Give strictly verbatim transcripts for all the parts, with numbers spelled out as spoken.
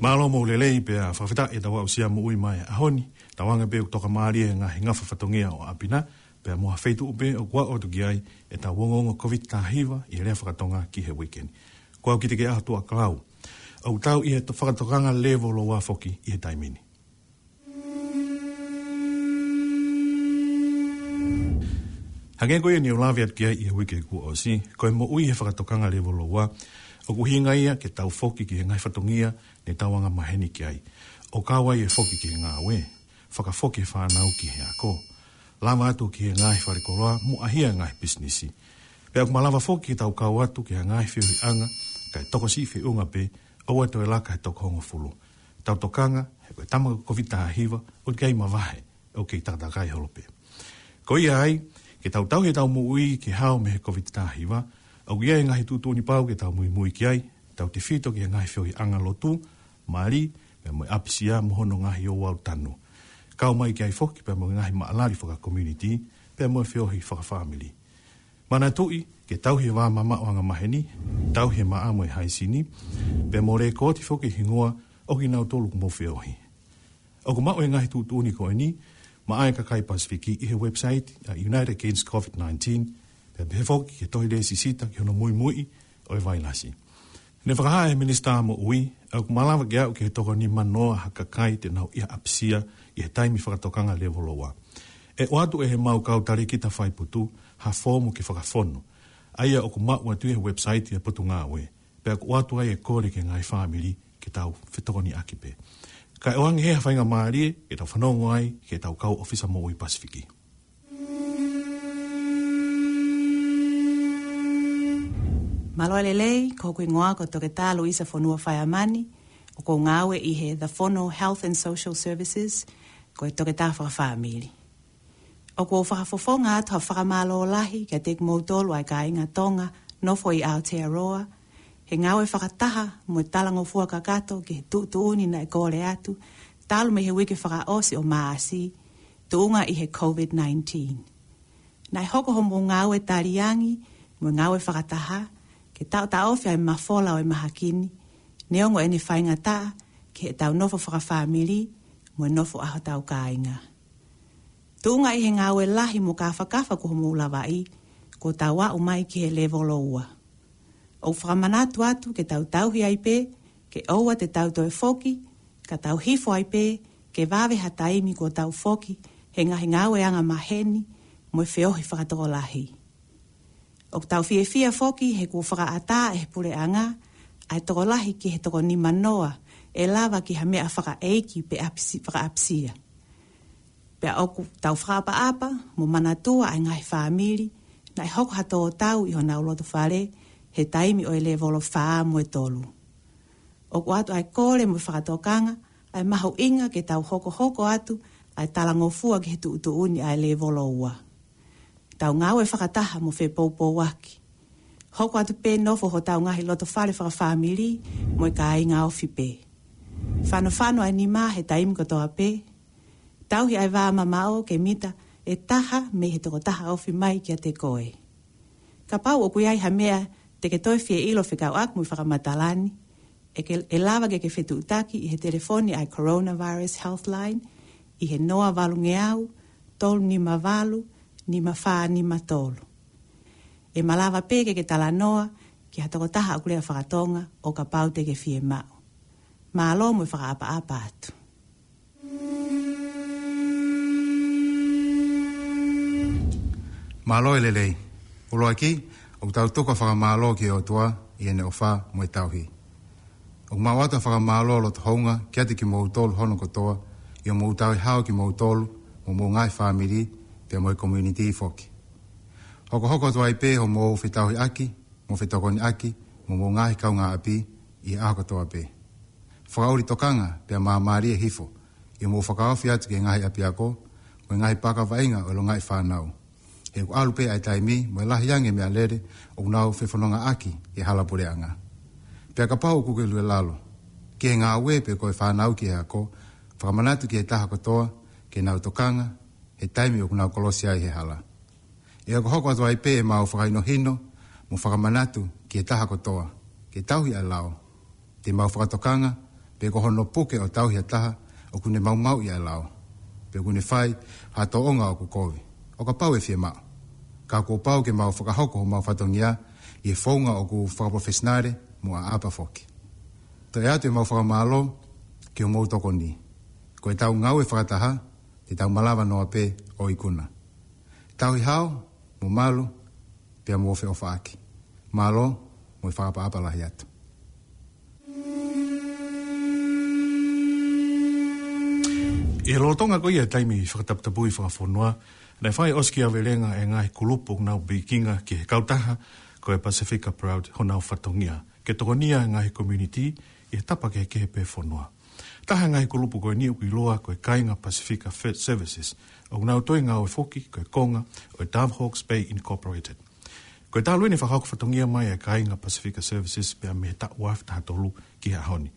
Mālō mo e lelei pea fakafetaʻi ʻetau aʻusia moʻui mai he ʻaho ni, tauange pē ʻoku tokamālie e ngaahi ngafa fatongia ʻo ʻapi na, pea mo ha feituʻu pē ʻoku aʻu atu ki ai ʻetau ongoongo Covid taha hiva ʻi he lea fakatonga ki he uike ni. Ko au Kitikeʻaho Tuʻakalau. ʻOku tau ʻi he to-, fakatokanga lēvolo ua foki ʻi he taimi ni. Hangē ko ia ne u lave atu ki ai ʻi he uike kuo ʻosi, ko e moʻui he fakatokanga lēvolo ua, ʻoku ʻuhinga ia ke tau foki ki he ngaahi fatongia ne tau angamaheni ki ai. ʻO kau ai e foki ki he ngāue, fakafoki e fānau ki he ako, lava atu ki he ngaahi falekoloa mo ʻahia e ngaahi pisinisi. Pea ʻoku malava foki ke tau kau atu ki ha ngaahi feohiʻanga, kae tokosiʻi feʻunga pē, ʻoua toe laka he toko hongofulu. Tau tokanga, he ko e tama ko e Covid taha hiva, ʻoku kei mavahe, ʻoku kei takatakai holo pē. Ko ia ai, ke tau tauhi ʻetau moʻui ke hao mei he Covid taha hiva, ʻoku ʻi ai e ngaahi tuʻutuʻuni pau ke tau muimui ki ai, tautefito ki he ngaahi feohiʻanga lotu, mali, pea mo e ʻapisia mo hono ngaahi ouau tanu. Kau mai ki ai foki pea mo e ngaahi maʻalali fakakomiunitī, pea mo e feohi fakafāmili. Manatuʻi, ke tauhi e vā mamaʻo angamaheni, tauhi e maʻa mo e haisini, pea mo lekooti foki e hingoa ʻo kinautolu ʻoku mou feohi. ʻOku maʻu e ngaahi tuʻutuʻuni ko eni maʻa e kakai Pasifiki ʻi he website ʻa Unite Against Covid nineteen, pea pehē foki ki he tohi lēsisita ki hono muimuiʻi ʻo e vailasi. Ne fakahā ʻe he Minisitā Moʻui, ʻoku malava ke aʻu ki he toko nima noa ha kakai te nau ʻi ha ʻapisia ʻi he taimi fakatokanga lēvolo ua. ʻE ʻoatu ʻe heʻemau kau talēkita faiputu ha foomu ke fakafonu, ʻa ia ʻoku maʻu atu ʻi he website ʻa e Potungāue, pea ʻoku ʻoatu ai e kole ki he ngaahi fāmili ke tau fetokoniʻaki pē. Kae ʻoange ʻe he faingamālie ke tau fanongo ai ki heʻetau kau ʻōfisa moʻui Pasifiki. Mālō e lelei, ko hoku hingoa ko Toketā Luisa Fonua Faiamani, ʻoku ou ngāue ʻi he The Fono Health and Social Services, ko e toketā fakafāmili. ʻOku ou fakafofonga atu ha fakamālō lahi kiate kimoutolu ʻa e kāinga Tonga nofo ʻi Aotearoa, he ngāue fakataha mo e talangofua kakato ki he tuʻutuʻuni naʻe kole atu, talu mei he uike fakaʻosi ʻo Maʻasi, tuʻunga ʻi he Covid nineteen. Naʻe hoko hoʻomou ngāue taliangi mo e ngāue fakataha, ke taʻotaʻofi ʻa e mafola ʻo e mahaki ni, neongo ʻene faingataʻa ki heʻetau nofo fakafāmili mo e nofo ʻa hotau kāinga. Tuʻunga ʻi he ngāue lahi mo kāfakafa kuo mou lavaʻi, kuo tau aʻu mai ki he lēvolo ua. ʻOku fakamanatu atu ke tau tauhi ai pē, ke ʻoua te tau toe foki, ka tau hifo ai pē, ke vave ha taimi kuo tau foki he ngaahi ngāue angamaheni mo e feohi fakatokolahi. ʻOku tau fiefia foki he kuo fakaʻatā ʻe he puleʻanga ʻa e tokolahi ki he toko nima noa ʻe lava ki ha meʻa fakaʻeiki pe ʻapisi-, fakaʻapisia. Pea ʻoku tau fakaʻapaʻapa mo manatua ʻa e ngaahi fāmili naʻe hoko ha tō tau ʻi honau loto fale he taimi ʻo e lēvolo fā mo e tolu. ʻOku ʻoatu ʻa e kole mo e fakatokanga ʻa e mahuʻinga ke tau hokohoko atu ʻa e talangofua ki he tuʻutuʻuni ʻa e lēvolo ua. Tau ngāue fakataha mo fepoupouaki. Hoko atu pē nofo hotau ngaahi loto fale fakafāmili mo e kāinga ofi pē. Fanofano ʻa e nima he taimi kotoa pē. Tauhi ʻa e vā mamaʻo ke mita ʻe taha mei he tokotaha ofi mai kiate koe. Kapau ʻoku ʻi ai ha meʻa te ke toe fie ʻilo fekauʻaki mo e fakamatala ni, ʻe ke, ʻe lava ke ke fetuʻutaki ʻi he telefoni ʻa e Coronavirus Healthline ʻi he noa valungeau, tolu nima valu, nima fā nima tolu. ʻE malava pē ke ke talanoa ki ha tokotaha ʻoku lea fakatonga ʻo kapau te ke fiemaʻu. Mālō mo e fakaʻapaʻapa atu. Mālō e lelei. ʻUluaki, ʻoku tau tuku ʻa e fakamālō ki he ʻOtua ʻi heʻene ʻofa mo e tauhi. ʻOku mau ʻoatu ʻa e fakamālō loto houngaʻia kiate kimoutolu hono kotoa, ʻi hoʻomou tauhi hao kimoutolu mo homou ngaahi fāmili, pea mo e community foki. Hokohoko atu ai pē hoʻomou fetauhiʻaki mo fetokoniʻaki mo homou ngaahi kaungāʻapi ʻi he ʻaho kotoa pē. Fakaʻuli tokanga pea māmālie hifo ʻi hoʻomou fakaofi atu ki he ngaahi ʻapiako mo e ngaahi paka vaʻinga ʻo e longaʻi fānau. He ʻoku ʻalu pē ʻa e taimi mo e lahi ange e meʻalele ʻoku nau fefonongaʻaki ʻi he hala puleʻanga. Pea kapau ʻoku ke lue lalo ki he ngāue pe ko e fānau ki he ako, fakamanatu ki he taha kotoa ke nau tokanga he taimi ʻoku nau kolosi ai he hala. ʻE hokohoko atu ai pē ʻemau fakahinohino mo fakamanatu ki he taha kotoa ke tauhi ʻa e lao. Te mau fakatokanga pe ko hono puke ʻo tauhi ha taha ʻoku ne maumauʻi ʻa e lao, pe ʻoku ne fai ha tōʻonga ʻoku kovi, ʻo kapau ʻe fiemaʻu. Ka kuo pau ke mau fakahoko homau fatongia ʻi he founga ʻoku fakapalofesinale mo ʻaʻapa foki. Toe ʻoatu ʻemau fakamālō ki hoʻomou tokoni. Ko ʻetau ngāue fakataha, te tau malava noa pē ʻo ikuna. Tauhi hao, mo malu, pea mo feʻofaʻaki. Mālō, mo e fakaʻapaʻapa lahi atu. ʻI he lolotonga ko ia e taimi fakataputapui fakafonua, naʻe fai ʻosikiavelenga e ngaahi kulupu ʻoku nau pikinga ki he kautaha ko e Pacifica Proud honau fatongia ke tokonia e ngaahi community ʻi he tapa kehekehe pē fonua. Taha e ngaahi kulupu ko eni ʻoku ʻiloa ko e Kāinga Pacifica Fe-, Services, ʻoku nau toe ngāue foki ko e konga ʻo e Dove Hawke's Bay Incorporated. Ko e talu eni e fakahoko fatongia mai e Kāinga Pacifica Services pea mei he taʻu ua afe taha tolu ki he ʻaho ni.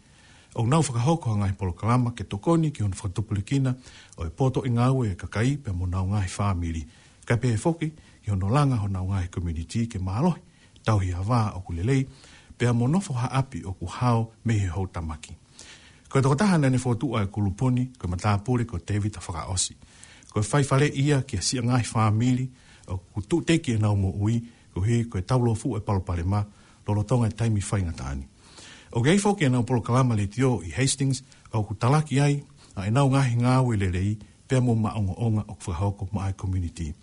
ʻOku nau fakahoko ha ngaahi polokalama ke tokoni ki hono fakatupulekina ʻo e potoʻi ngāue e kakai pea mo honau ngaahi fāmili, kae pehē foki ki hono langa honau ngaahi community ke mālohi, tauhi ha vā ʻoku lelei, pea mo nofo ha ʻapi ʻoku hao mei he houtamaki. Ko e tokotaha naʻa ne fokotuʻu e kulupu ni, ko e matāpule ko Tēvita Fakaʻosi. Ko e faifaleʻi ia ki he siʻi ngaahi fāmili ʻoku tuʻuteki ʻenau moʻui, koeʻuhi ko e taulofu e palopalema lolotonga e taimi faingataʻa ni. ʻOku ʻi ai foki ʻenau polokalama letiō ʻi Hastings, ʻoku talaki ai ʻa ʻenau ngaahi ngāue lelei, pea mo maʻongoʻonga ʻoku fakahoko maʻa e community.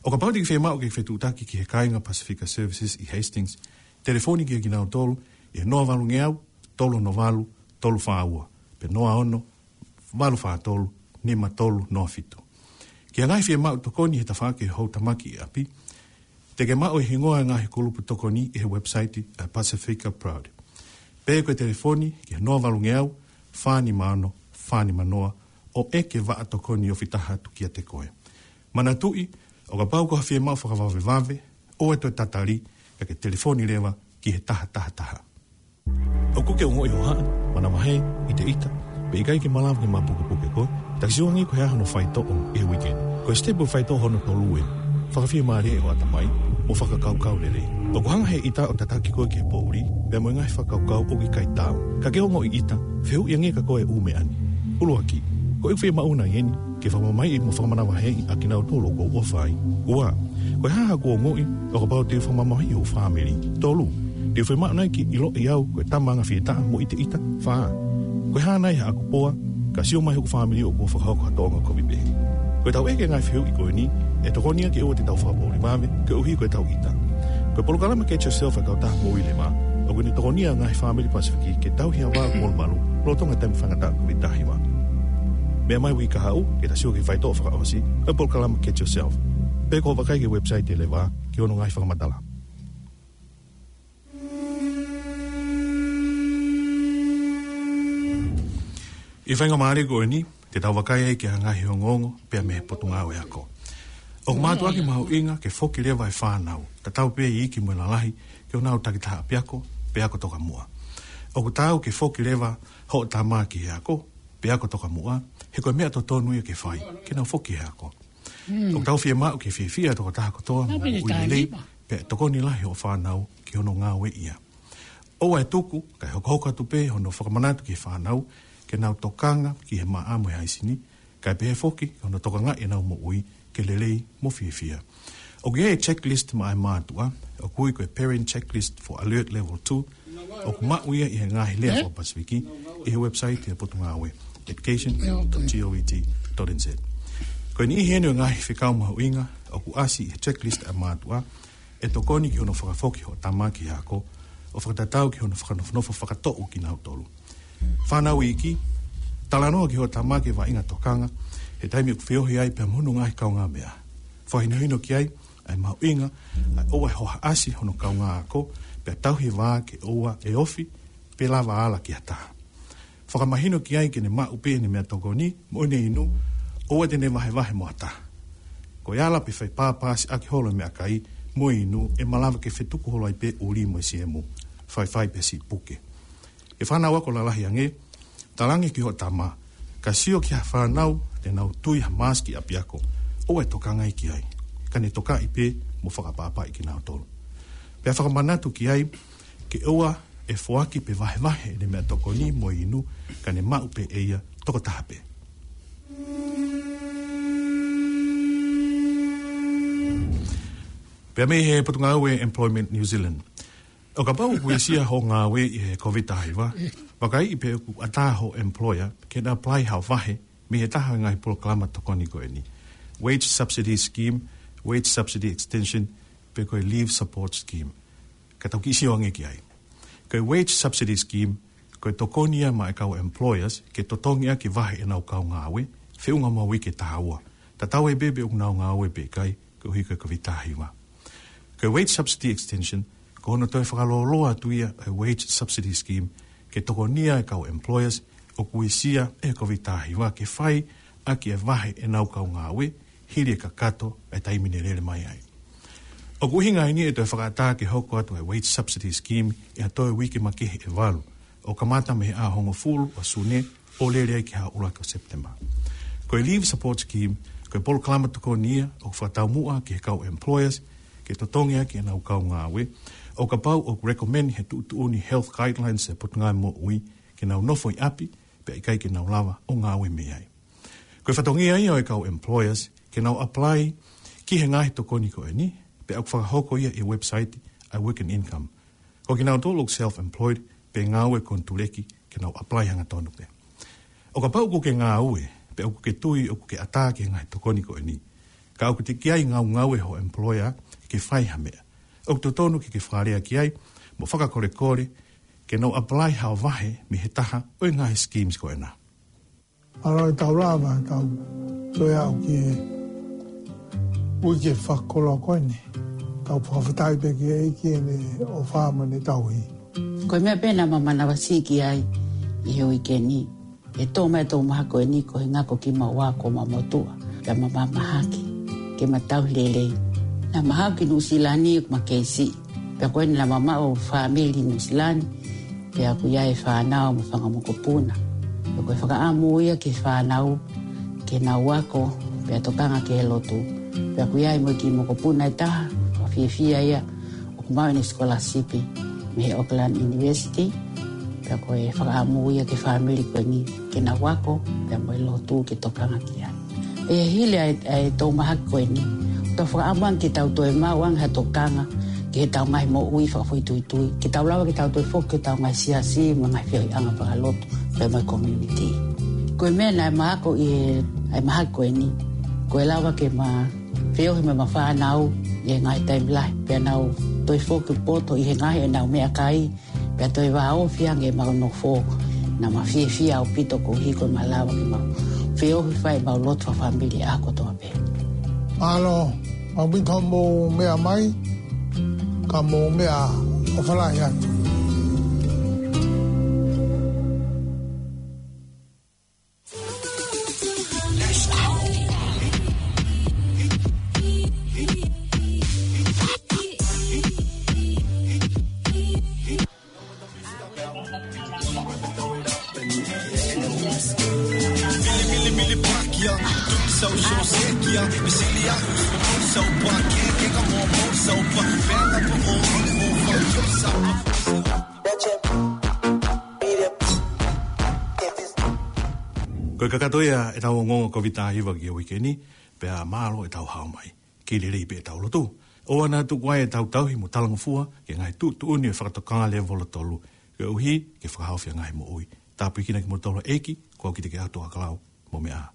ʻO kapau te ke fiemaʻu ke fetuʻutaki ki he Kāinga Pacifica Services ʻi Hastings, telefoni kia kinautolu ʻi he noa valungeau, tolu ono valu, tolu fā ua, pe noa ono, valu fā tolu, nima tolu noa fitu. Ki he ngaahi fiemaʻu tokoni he tafaʻaki houtamaki ʻi ʻapi, te ke maʻu e hingoa e ngaahi kulupu tokoni ʻi he website ʻa e Pacifica Proud. Pe ko e telefoni ki he noa valungeau, fā nima ono, fā nima noa, ʻo ʻeke vaʻa tokoni ofi taha atu kiate koe. Manatuʻi, ʻo kapau ko ha fiemaʻu fakavavevave, ʻoua ʻe toe tatali, ka ke telefoni leva ki he taha taha taha. ʻOku ke ongoʻi hohaʻa, manavahē, ʻiteʻita, pe ʻikai ke malava ke mapukepuke koe? Taki sio angé ko e hā hono faitoʻo ʻi he weekend. Ko e sitepu faitoʻo hono tolu ē. Fakafiemālieʻi ho ʻatamai mo fakakaukau lelei. ʻOku hanga ʻe he ʻita ʻo tataki koe ki he poʻuli pea mo e ngaahi fakakaukau ʻoku ʻikai taau. Ka ke ongoʻi ʻita, fehuʻi angé kia koe e ʻū meʻa ni. ʻUluaki, ko ʻeku fiemaʻu nai eni ke fakamamahiʻi mo fakamanavahēʻi ʻa kinautolu ʻoku ou ʻofa ai? Ua, ko e hā haʻaku ongoʻi ʻo kapau te u fakamamahiʻi hoku fāmili? Tolu, te u fiemaʻu nai ke ʻiloʻi au ko e tama anga fietaʻa mo ʻiteʻita? Fā, ko e hā nai haʻaku poa ka sio mai hoku fāmili ʻoku ou fakahoko ha tōʻonga kovi pehē? Ko ʻetau ʻeke e ngaahi fehuʻi ko eni, ʻe tokoni ia ke ʻoua te tau fakapoʻuli vave koeʻuhi ko ʻetau ʻita. Ko e polokalama Get Yourself ʻa e Kautaha Moʻui Leva, ʻoku ne tokonia e ngaahi fāmili Pasifiki ke tauhi ha vā ʻoku molumalu lolotonga e taimi faingataʻa ʻo e Covid taha hiva. Meʻa mai uike kahaʻu ke ta sio ki he faitoʻo fakaʻosi ʻo e polokalama Get Yourself, pe ko hoʻo vakai ki he website ʻa e Leva ki hono ngaahi fakamatala. ʻI he faingamālie ko eni, te tau vakai ai ki ha ngaahi ongoongo pea mei he Potungāue Ako. ʻOku mātuʻaki mahuʻinga ke foki leva e fānau, tatau pē iiki mo e lalahi, ki honau takitaha ʻapiako pe ako tokamuʻa. ʻOku taau ke foki leva hoʻo tama ki he ako pe ako tokamuʻa, he ko e meʻa totonu ia ke fai ke nau foki he ako. ʻOku tau fiemaʻu ke fiefia e tokotaha kotoa mo e moʻui lelei, pea ʻe tokoni lahi hoʻo fānau ki hono ngāueʻi ia. ʻOua ʻe tuku kae hokohoko atu pē hono fakamanatu ki he fānau ke nau tokanga ki he maʻa mo e haisini, kae pehē foki ki hono tokangaʻi ʻenau moʻui ke lelei mo fiefia. ʻOku ʻi ai e checklist maʻa e mātuʻa, ʻoku ui ko e Parent Checklist for Alert Level two, ʻoku maʻu ia ʻi he ngaahi lea faka-Pasifiki ʻi he website ʻa e Potungāue, education dot G O V T dot N Z. Ko e niʻihi eni ʻo e ngaahi fekau mahuʻinga ʻoku ʻasi ʻi he checklist ʻa e mātuʻa, ʻe tokoni ki hono fakafoki hoʻo tama ki he ako, ʻo fakatatau ki hono fakanofonofo fakatoʻu kinautolu. Fānau iiki, talanoa ki hoʻo tama ki he vaʻinga tokanga he taimi ʻoku feohi ai pea mo hono ngaahi kaungāmeʻa. Fakahinohino ki ai ʻa e mahuʻinga ʻa e ʻoua ʻe hohaʻasi hono kaungā ako, pea tauhi e vā ke ʻoua ʻe ofi pe lava ala ki ha taha. Fakamahino ki ai ke ne maʻu pē ʻene meʻatokoni mo ʻene inu, ʻoua te ne vahevahe mo ha taha. Ko e ala pe fai pāpāsiʻaki holo e meʻakai mo e inu, ʻe malava ke fetuku holo ai pē ʻuli mo e siemu, faifai pe siʻi puke. ʻE fānau ako lalahi angé, talaange ki hoʻo tama, ka sio ki ha fānau te nau tui ha mask ʻi ʻapiako, ʻoua ʻe tokangaʻi ki ai, ka ne tokaʻi pē mo fakaʻapaʻapaʻi kinautolu. Pea fakamanatu ki ai ke ʻoua ʻe foaki pe vahevahe ʻene meʻatokoni mo e inu, ka ne maʻu pē ʻe ia tokotaha pē. Pea mei he Potungāue Employment New Zealand. ʻO kapau ʻoku uesia hoʻo ngāue ʻi he COVID taha hiva, vakaiʻi pe ʻoku ʻatā hoʻo employer ke na apply haʻo vahe mei he taha e ngaahi polokalama tokoni ko eni: Wage Subsidy Scheme, Wage Subsidy Extension, pe ko e Leave Support Scheme. Ka tau kiʻi sio ange ki ai. Ko e Wage Subsidy Scheme, ko e tokoni ia maʻa e kau employers ke totongi ʻaki e vahe ʻenau kau ngāue, feʻunga mo e uike taha ua, tatau ai pē pe ʻoku nau ngāue pe ʻikai, koeʻuhi ko e COVID taha hiva. Ko e Wage Subsidy Extension, ko hono toe fakalōloa atu ia e Wage Subsidy Scheme, ke tokonia e kau employers ʻoku uesia ʻe he COVID taha hiva ke fai ʻaki e vahe ʻenau kau ngāue, hili e kakato e taimi ne lele mai ai. ʻOku ʻuhinga eni e toe fakaʻatā ke hoko atu e Wage Subsidy Scheme ʻi ha toe uike makehe ʻe valu, ʻo kamata mei he ʻaho hongofulu ʻo Sune ʻo lele ai ki he ʻuluaki ʻo September. Ko e Leave Support Scheme, ko e polokalama tokoni ia ʻoku fakataumuʻa ki he kau employers ke totongi ʻaki ʻenau kau ngāue, ʻo kapau ʻoku recommend he tuʻutuʻuni Health Guidelines e Potungāue Moʻui ke nau nofo ʻi ʻapi, pea ʻikai ke nau lava ʻo ngāue mei ai. Ko e fatongia ia ʻo e kau employers ke nau apply ki he ngaahi tokoni ko eni, pea ʻoku fakahoko ia ʻi he website ʻa e Work and Income. Ko kinautolu ʻoku self-employed pe ngāue konituleki ke nau apply hangatonu pē. ʻO kapau ʻoku ke ngāue, pea ʻoku ke tui ʻoku ke ʻatā ki he ngaahi tokoni ko eni, ka ʻoku teʻeki ai ngaungaue ho employer ke fai ha meʻa, ʻoku totonu ke ke fakalea ki ai mo fakakolekole ke nau apply haʻo vahe mei he taha ʻo e ngaahi schemes ko ena. ʻAlo, ʻe tau lava, tau toe aʻu ki he uike fakakoloa ko eni. Tau fakafetaʻi pē ki he ʻEiki ʻene ʻofa mo ʻene tauhi. Ko e meʻa pē naʻa ma manavasiʻi ki ai ʻi he uike ni, ʻe tō mai e tō mahaki ko eni ko e ngako ki maua ko ma motuʻa, pea ma mamahaki ke ma tauhi lelei. Naʻa ma haʻu ki Nuʻusila ni ʻoku ma kei siʻi. Pea ko eni naʻa ma maʻu fāmili Nuʻusila ni, pea ʻoku ʻi ai e fānau mo e fanga mokopuna. Pea ko e fakaʻamu ia ki he fānau ke nau ako, pea tokanga ki he lotu. Pea ʻoku ʻi ai mo e kiʻi mokopuna ʻe taha, ʻoku fiefia ia ʻoku maʻu ʻene sikolasipi mei he Auckland University. Pea ko e fakaʻamu ia ki he fāmili ko eni ke nau ako, pea mo e lotu ke tokanga ki ai. ʻE hili ʻa e, ʻa e tō mahaki ko eni, tau fakaʻamu ange ke tau toe maʻu ange ha tokanga ki heʻetau ngaahi moʻui fakafoʻituitui, ke tau lava ke tau toe foki ki heʻetau ngaahi siasi mo e ngaahi feohiʻanga fakalotu pea mo e community. Ko e meʻa naʻe ma ako ʻi he, ʻa e mahaki ko eni, ko e lava ke ma feohi mo ʻema fānau ʻi he ngaahi taimi lahi, pea nau toe foki poto ʻi he ngaahi ʻenau meʻakai, pea toe vāofi ange ʻemau nofo. Naʻa ma fiefia ʻaupito koeʻuhi ko ʻema lava ke mau feohi, fai ʻemau lotu fakafāmili ʻaho kotoa pē. ʻAlo, mau mita mo meʻa mai, ka mo meʻa ʻo falahi atu. Ko e kakato ia ʻetau ongoongo COVID taha hiva ki he uike ni, pea mālō ʻetau hao mai. Kei lelei pē ʻetau lotu. ʻOua naʻa tuku ai ʻetau tauhi mo talangofua ki he ngaahi tuʻutuʻuni ʻo e fakatokanga lēvolo tolu, koeʻuhi ke fakahaofi ʻa e ngaahi moʻui. Tāpuekina kimoutolu ʻe he ʻEiki, ko au Kiteke ʻAtu ʻAkalau, mo meʻa ā.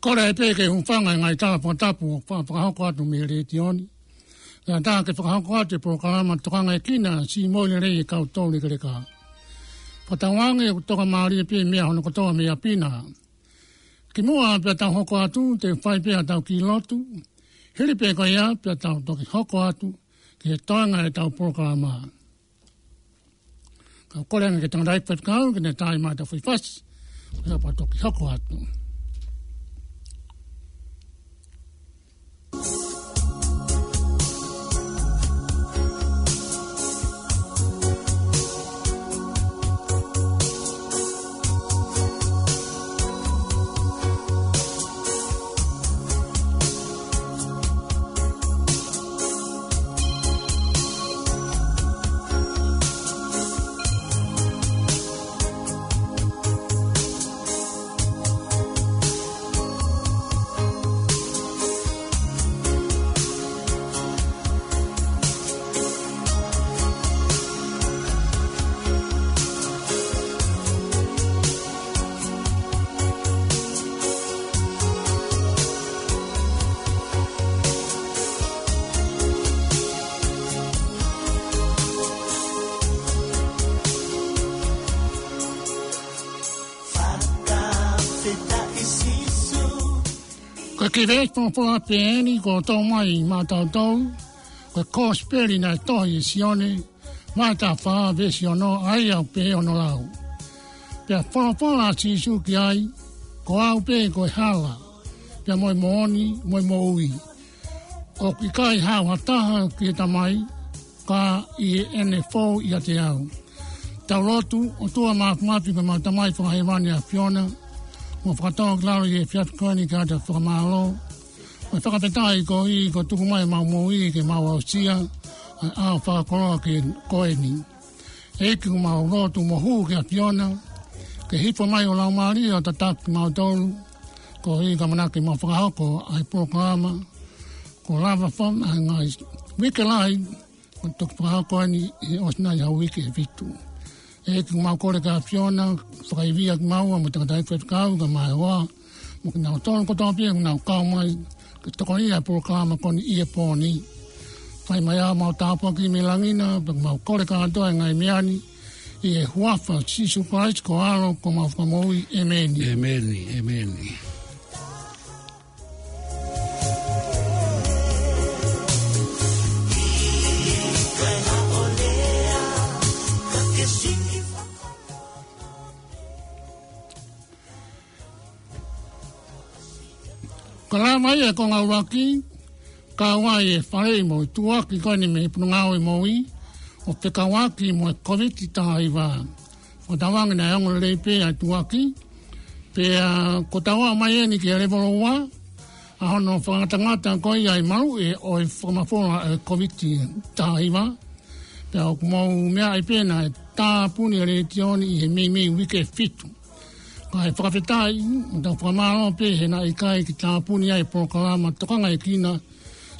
Kole pē ke hūfanga he ngaahi tala fakatapu ʻoku fa-, fakahoko atu mei he letiō ni. Kae ʻatā ke fakahoko atu e polokalama Tokangaekina, Siʻi Moʻui Lelei ʻa e Kau Toulekeleka. Fakatauange ʻoku tokamālie pē meʻa hono kotoa mei ʻapi na. Kimuʻa pea tau hoko atu, te u fai pē haʻatau kiʻi lotu. Hili pē ko ia pea tau toki hoko atu ki he toenga ʻetau polokalama. Ka u kole ange ki he tangataʻeiki faifekau ke ne tā mai ʻetau foʻi fasi. Ko ia pea toki hoko atu. Ko e kiʻi veesi folofola pē eni kuo tō mai maʻatautolu, ko e Kosipeli naʻe tohi ʻe Sione, vahe taha fā veesi ono, ʻa ia ʻoku pehē hono lau: Pea folofola ʻa Sīsū ki ai, Ko au pē ko e hala, pea mo e moʻoni, mo e moʻui. ʻOku ʻikai haʻu ha taha ki he Tamai, ka ʻi heʻene fou ʻiate au. Tau lotu. ʻOtua Māfimafi, ko ʻemau Tamai Fakahēvani ʻa e ʻAfiona, ʻoku mau fakatōkilalo ʻi he efiafi ko eni ke ʻoatu ʻa e fakamālō mo e fakafetaʻi koeʻuhi ko e tuku mai ʻemau moʻui ke mau aʻusia ʻa e ʻaho fakakoloa ko eni. ʻEiki, ʻoku mau lotu mo hū ki he ʻAfiona ke hifo mai ho Laumālie ʻo tataki kimautolu, koeʻuhi ko e ʻamanaki ke mau fakahoko ʻa e polokalama kuo lava fon ʻa e ngaahi uike lahi kuo toki fakahoko eni ʻi he ʻosi nai ʻa e uike ʻe fitu. ʻEiki, ʻoku mau kole ki he ʻAfiona, fakaivia kimaua mo e tangataʻeiki faifekau kae ʻumaʻā mo kinautolu kotoa pē ʻoku nau kau mai ke tokoniʻi ʻa e polokalama ko eni ʻi he pō ni. Fai mai ʻa e mau tāpuaki mei langi na, pea ʻoku mau kole kātoa ʻa e ngaahi meʻa ni ʻi he huafa ʻo Sīsū Kalaisi ko ho ʻAlo ko homau Fakamoʻui. ʻĒmeni. ʻĒmeni, ʻēmeni. Ka lava mai e konga ʻuluaki, kau ai e faleʻi mo e tuʻuaki ko eni mei he Potungāue Moʻui, ʻo fekauʻaki mo e Kōviti taha hiva. Fakatauange naʻe ongo lelei pē ʻa e tuʻuaki, pea kuo tau aʻu mai eni ki he levolo ua ʻa hono fakangatangata ko ia ʻa e maluʻi ʻo e fakamafola ʻo e Kōviti taha hiva. Pea ʻoku mou meaʻi pē naʻe tāpuni ʻa e letiō ni ʻi he meimei uike ʻe fitu. Kae fakafetaʻi, ʻoku tau fakamālō pē he naʻe ʻikai ke tāpuni ʻa e polokalama tokangaekina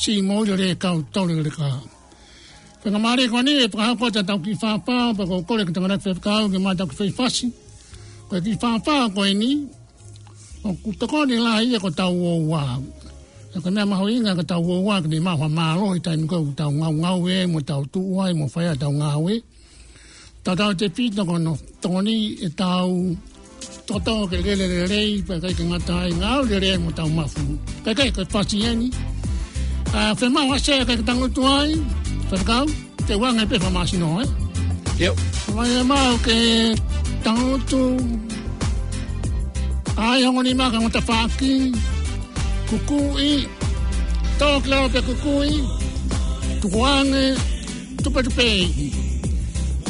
siʻi moʻui lelei kau tau leleka. Pea ka mālie ko eni ʻe fakahoko atu ʻetau kiʻi fāfā, pea ʻoku ou kole ki he tangataʻeiki faifekau ke ʻomai ʻetau kiʻi foʻi fasi. Ko e kiʻi fāfā ko eni, ʻoku tokoni lahi ia ki hotau ouau. Pea ko e meʻa mahuʻinga ki hotau ouau ke ne maʻu ha mālohi he taimi ko ē ʻoku tau ngaungaue mo tau tuʻu ai mo fai ʻetau ngāue. Tautautefito ko hono tokoniʻi ʻetau toto ke lele lelei, pea ʻikai ke ngata ai, ngāue lelei mo tau mafu. Pea ko e kiʻi fasi eni. ʻA, fiemaʻu ha sea ke tangutu ai, faifekau, te u ʻoange pē fakamāsino, ē? ʻIo. Fiemaʻu ke tangutu ai, ongo nima ka ngata faki, kukuʻi, tō ki lalo pea kukuʻi, tukuange, tupetupeʻi.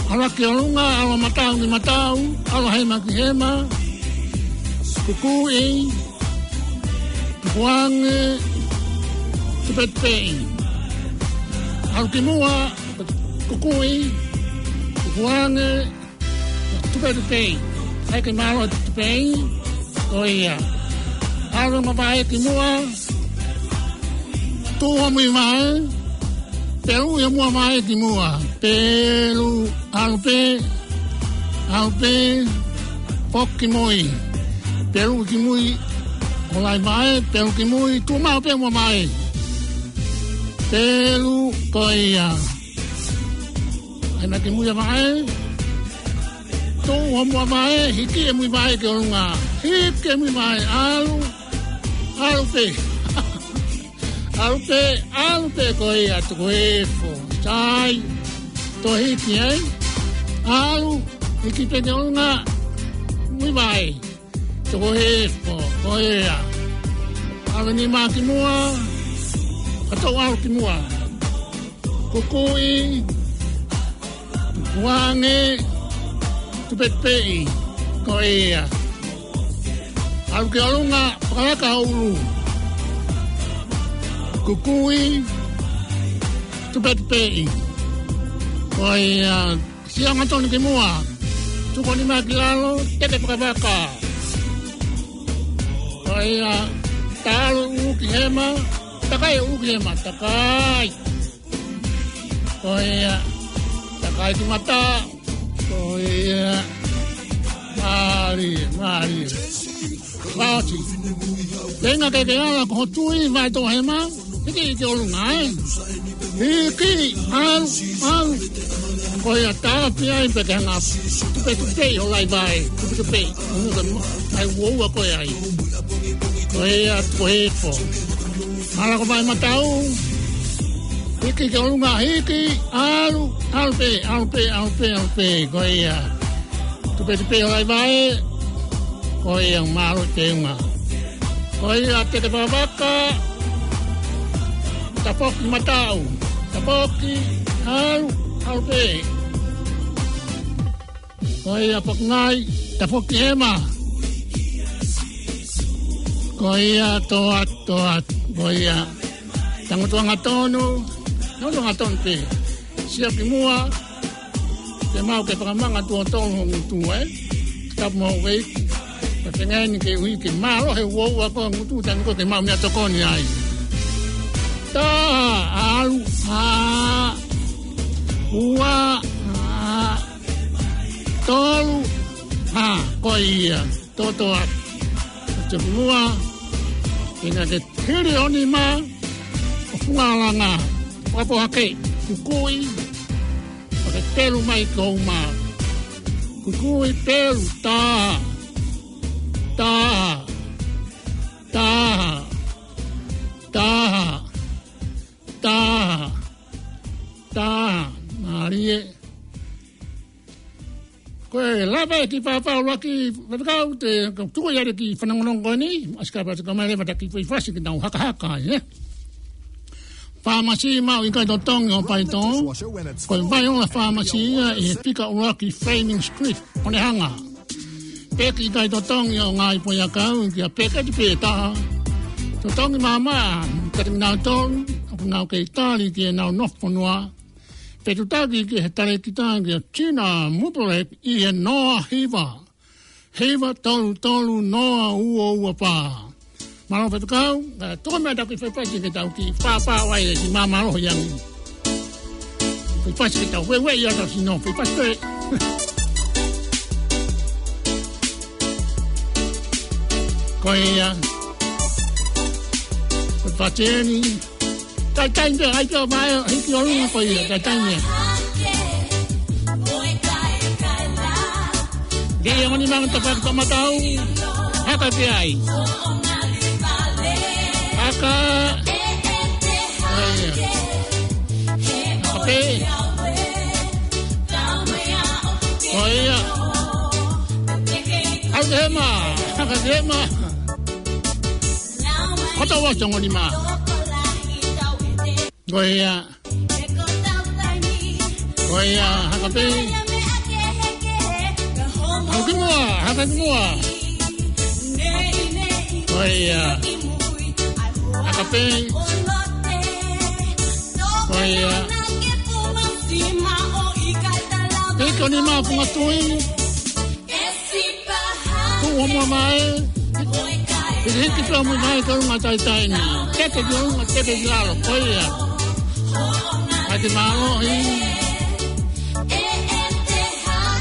ʻAlu ki ʻolunga, ʻalu matau ki matau, ʻalu hema ki hema, kukuʻi, tukuange, tupetupeʻi. ʻAlu ki muʻa, kukuʻi, tukuange, tupetupeʻi. ʻIkai ke mālohi e tupetupeʻi, ko ia. ʻAlu mo vaʻe ki muʻa, tuʻu homui vaʻe, peluʻi homua vaʻe ki muʻa. Pelu, ʻalu pē, ʻalu pē, foki ki mui. Peluʻi ki mui, ʻoku lahi vaʻe, peluʻi ki mui, tuʻu maʻu pē homua vaʻe. Pelu, ko ia. Hema ki mui ʻa vaʻe. Tuʻu homua vaʻe, hiki e mui vaʻe ki ʻolunga. Hiki e mui vaʻe, ʻalu. ʻAlu pē. ʻAlu pē, ʻalu pē ko ia tuku hifo. Sai. Toe hiki ai. ʻAlu. Hiki pē ki ʻolunga, ui vaʻe. Toko hifo, ko ia. ʻAlu e nima ki muʻa, kae toʻo ʻalu ki muʻa. Kukuʻi, tupuange, tupetupeʻi, ko ia. ʻAlu ki ʻolunga, fakalaka ʻulu. Kukuʻi, tupetupeʻi, ko ia. Sio angatonu ki muʻa. Tuku e nima ki lalo, teke fakavaka. Ko ia, talu ʻulu ki hema, takai ʻulu ki hema, takai. Ko ia, takai ki mata. Ko ia, mālie, mālie. Vaoti. Tenga ke ke ala ko ho tui, vaʻe toʻo hema. Hiki ki ʻolunga, ē. Hiki, ʻalu, ʻalu. Ko ia, tāpia ai pē ke hanga. Tupetupeʻi ho laivae. Tupetupeʻi. ʻAi uoua ko ia ai. Ko ia, ko e po. Ala ko vaʻe matau. Hiki ki ʻolunga, hiki, ʻalu, ʻalu pē, ʻalu pē, ʻalu pē, ʻalu pē. Ko ia. Tupetupeʻi ho laivae, ko ia mālō e teunga. Ko ia teke fakavaka, tafoki mataʻu, tafoki, ʻalu, ʻalu pē. Ko ia pokingai, tafoki hema. Ko ia toʻa, toʻa, ko ia. Tangutu angatonu, tangutu angatonu pē. Sio ki muʻa, ke mau ke fakamanga tuʻo tolu ho ngutu, ē. Tapu mo e ueʻi. Ka te ngai ni ke ui ke mālohi uoua ko e ngutu, tanu ko ke mau meʻatokoni ai. Taha, ʻalu, ʻā, ua, ʻā, tolu, ʻā, ko ia. Toʻotoʻa. Te muʻa, ʻi he ngaahi hili ʻo e nima, ʻo funga ʻalunga, ʻo apo hake, kukuʻi, ʻo ke pelu mai ki hoʻo uma. Kukuʻi pelu, taha, taha, taha, taha, taha, taha, mālie. Ko e lava e kiʻi pāpā ʻuluaki, faifekau, te u tuku ia ki he fanongonongo ko eni, ʻasi ka pati ka mai leva ta kiʻi faifasi ke tau hakahaka, ē. Fāmasi maʻu ʻikai totongi ʻo paito, ko e Vaiola Fāmasi ia ʻi he fika ʻuluaki Fleming Street, Onehunga. Peki ʻikai totongi ʻo ngaahi foʻiʻakau, kia peketi pē taha. Totongi māmā, kati minau tolu, ʻoku nau kei tali ki heʻenau nofo fonua. Fetuʻutaki ki he talēkita kia Tina Mupule ʻi he noa hiva. Hiva tolu tolu noa ua ua fā. Mālō faifekau, ē, tuku mai ʻetau kiʻi faifasi ke tau kiʻi pāpā ai e kiʻi māmālohi ange. Faifasi ke tau ueʻi ʻetau sino, faifasi pē. Ko ia. Ko e pateni. Taitai pē, ʻai pē ʻo vaʻe, hiki ʻolunga ko ia, taitai pē. Ke ia mani manga tapa ki toʻomataʻu, haka pē ai. Haka. Ko ia. Haka pē. Ko ia. Haka hema, haka hema. Koto wa songo ni ma. Ko ia. Ko ia, haka pē. Haka ki muʻa, haka ki muʻa. Ko ia. Haka pē. Ko ia. Hiki ʻo e nima funga tui. Tuʻu ʻo muʻa mai. Hiki hiki pē ʻo muʻa mai ki ʻolunga taitai ni. Teke ki ʻolunga, teke ki lalo. Ko ia. ʻAi ke mālohi.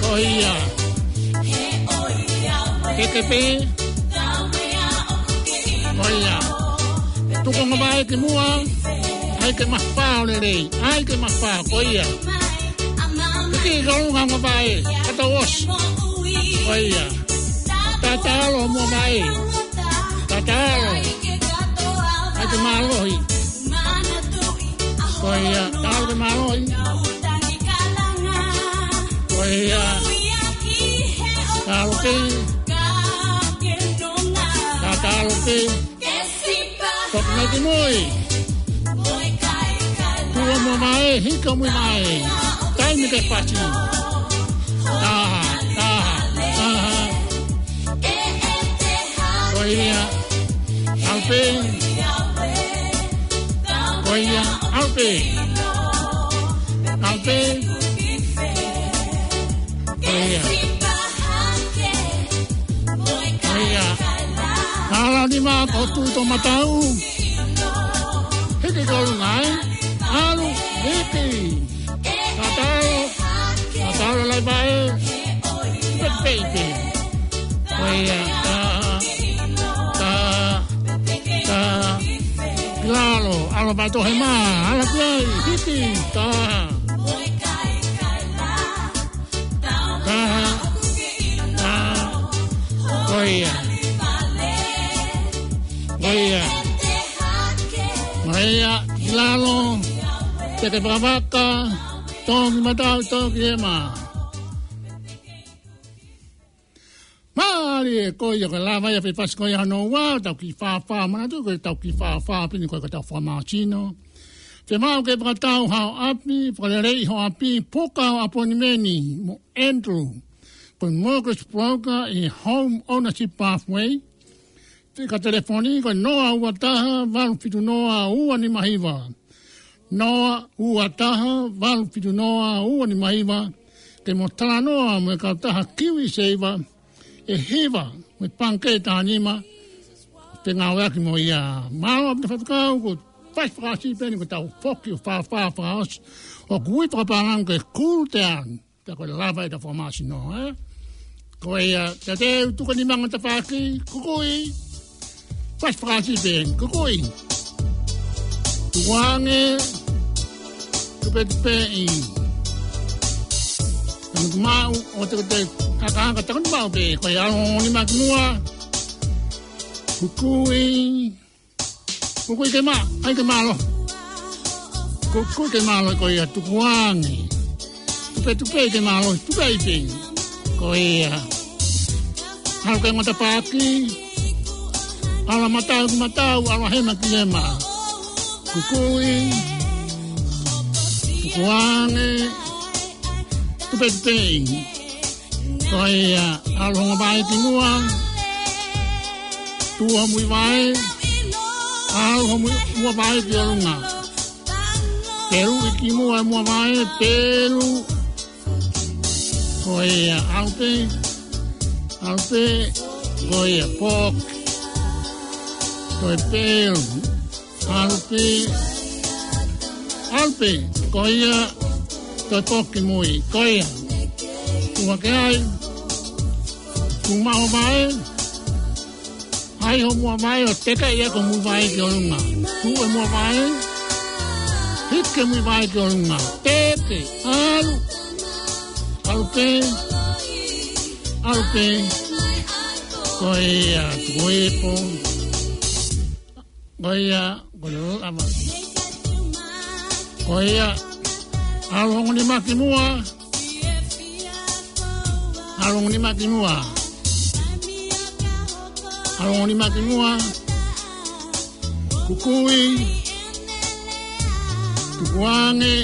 Ko ia. Teke pē. Ko ia. Tuku ʻo muʻa mai ki muʻa. ʻAi ke mafao lelei. ʻAi ke mafao. Ko ia. Hiki ki ʻolunga ʻo muʻa mai. Kato os. Ko ia. Tatalo ʻo muʻa mai. Tatalo. ʻAi ke mālohi. Ko ia. Tatalo ke mālohi. Ko ia. Tatalo pē. Tatalo pē. Toki mai ki mui. Tuʻa muʻa mai, hika muʻa mai. Taimi ke pasi. Taha, taha, taha. Ko ia, ʻalu pē. Ko ia, ʻalu pē. ʻAlu pē. Ko ia. Ko ia. Hala ni ma ko tu to matau. Hiki ko lunga, ē? ʻAlu, hiki. Tatalo. Tatalo lai pae. Pet baby. Ko ia. Ta, ta, ta. Lalo. ʻAlu pae to he ma. ʻAlu pē ai. Hiki. Ta. Taha. Taha. Ko ia. Ko ia. Ko ia. Lalo. Teke pakapaka. Toki matau, toki ema. Mālie, ko ia ko e lava ia pē pasi ko ia hono ua, tau kiʻi fāfā, manatu ko e tau kiʻi fāfā pē eni ko e ka tau fakamāsino. Te mau ke fakatau hao ʻapi, fakaleleiʻi ho ʻapi, puka ho ʻaponimeni mo Andrew. Ko e mortgage broker ʻi he Home Ownership Pathway. Te ka telefoni ko e noa ua taha, valu fitu noa, ua nima hiva. Noa ua taha, valu fitu noa, ua nima hiva. Ke mo talanoa mo e kautaha Kiwi Saver, ʻe hiva, mo e pangikē taha nima, te ngāueʻaki mo ia. Mālō ʻaupito faifekau, ko e fasi fakaʻosi pē eni ko e tau foki ʻo fāfā fakaʻosi. ʻOku ui fakapālangi ko e cool down. Pea ko e lava ʻetau fakamāsino, ē? Ko ia, te te u tuka ni manga tafaʻaki, kukui. Fasi fakaʻosi pē, kukui. Tukuange, tupetupeʻi. Tanu maʻu, ʻo te te, kaka, kaka, tanu maʻu pē, ko ia, ʻalu ongo nima ki muʻa. Kukui. Kukui ke ma, ʻai ke mālō. Kukui ke mālō ko ia tukuange. Tupetupeʻi ke mālō, tupeʻi pē. Ko ia. ʻAlu ke ngata paki. ʻAlu matau ki matau, ʻalu hema ki hema. Kukui. Tukuange. Tupetupeʻi. Ko ia, ʻalu ho muʻa vaʻe ki muʻa. Tuʻu ho muʻa vaʻe. ʻAlu ho muʻa, muʻa vaʻe ki ʻolunga. Peluʻi ki muʻa, muʻa vaʻe, pelu. Ko ia, ʻalu pē. ʻAlu pē. Ko ia, poki. Ko e pelu. ʻAlu pē, ʻalu pē, ko ia, ko e poki mui, ko ia. Tuʻu hake ai, tuʻu maʻu ho vaʻe, ʻai ho muʻa vaʻe, ʻo teka ia ko e muʻa vaʻe ki ʻolunga. Tuʻu e muʻa vaʻe, hiki e muʻa vaʻe ki ʻolunga. Teke, ʻalu, ʻalu pē, ʻalu pē, ko ia, tuku ipo. Ko ia, ko ia, lava. Ko ia, ʻalu ongo nima ki muʻa. ʻAlu ongo nima ki muʻa. ʻAlu ongo nima ki muʻa. Kukui. Tukuange.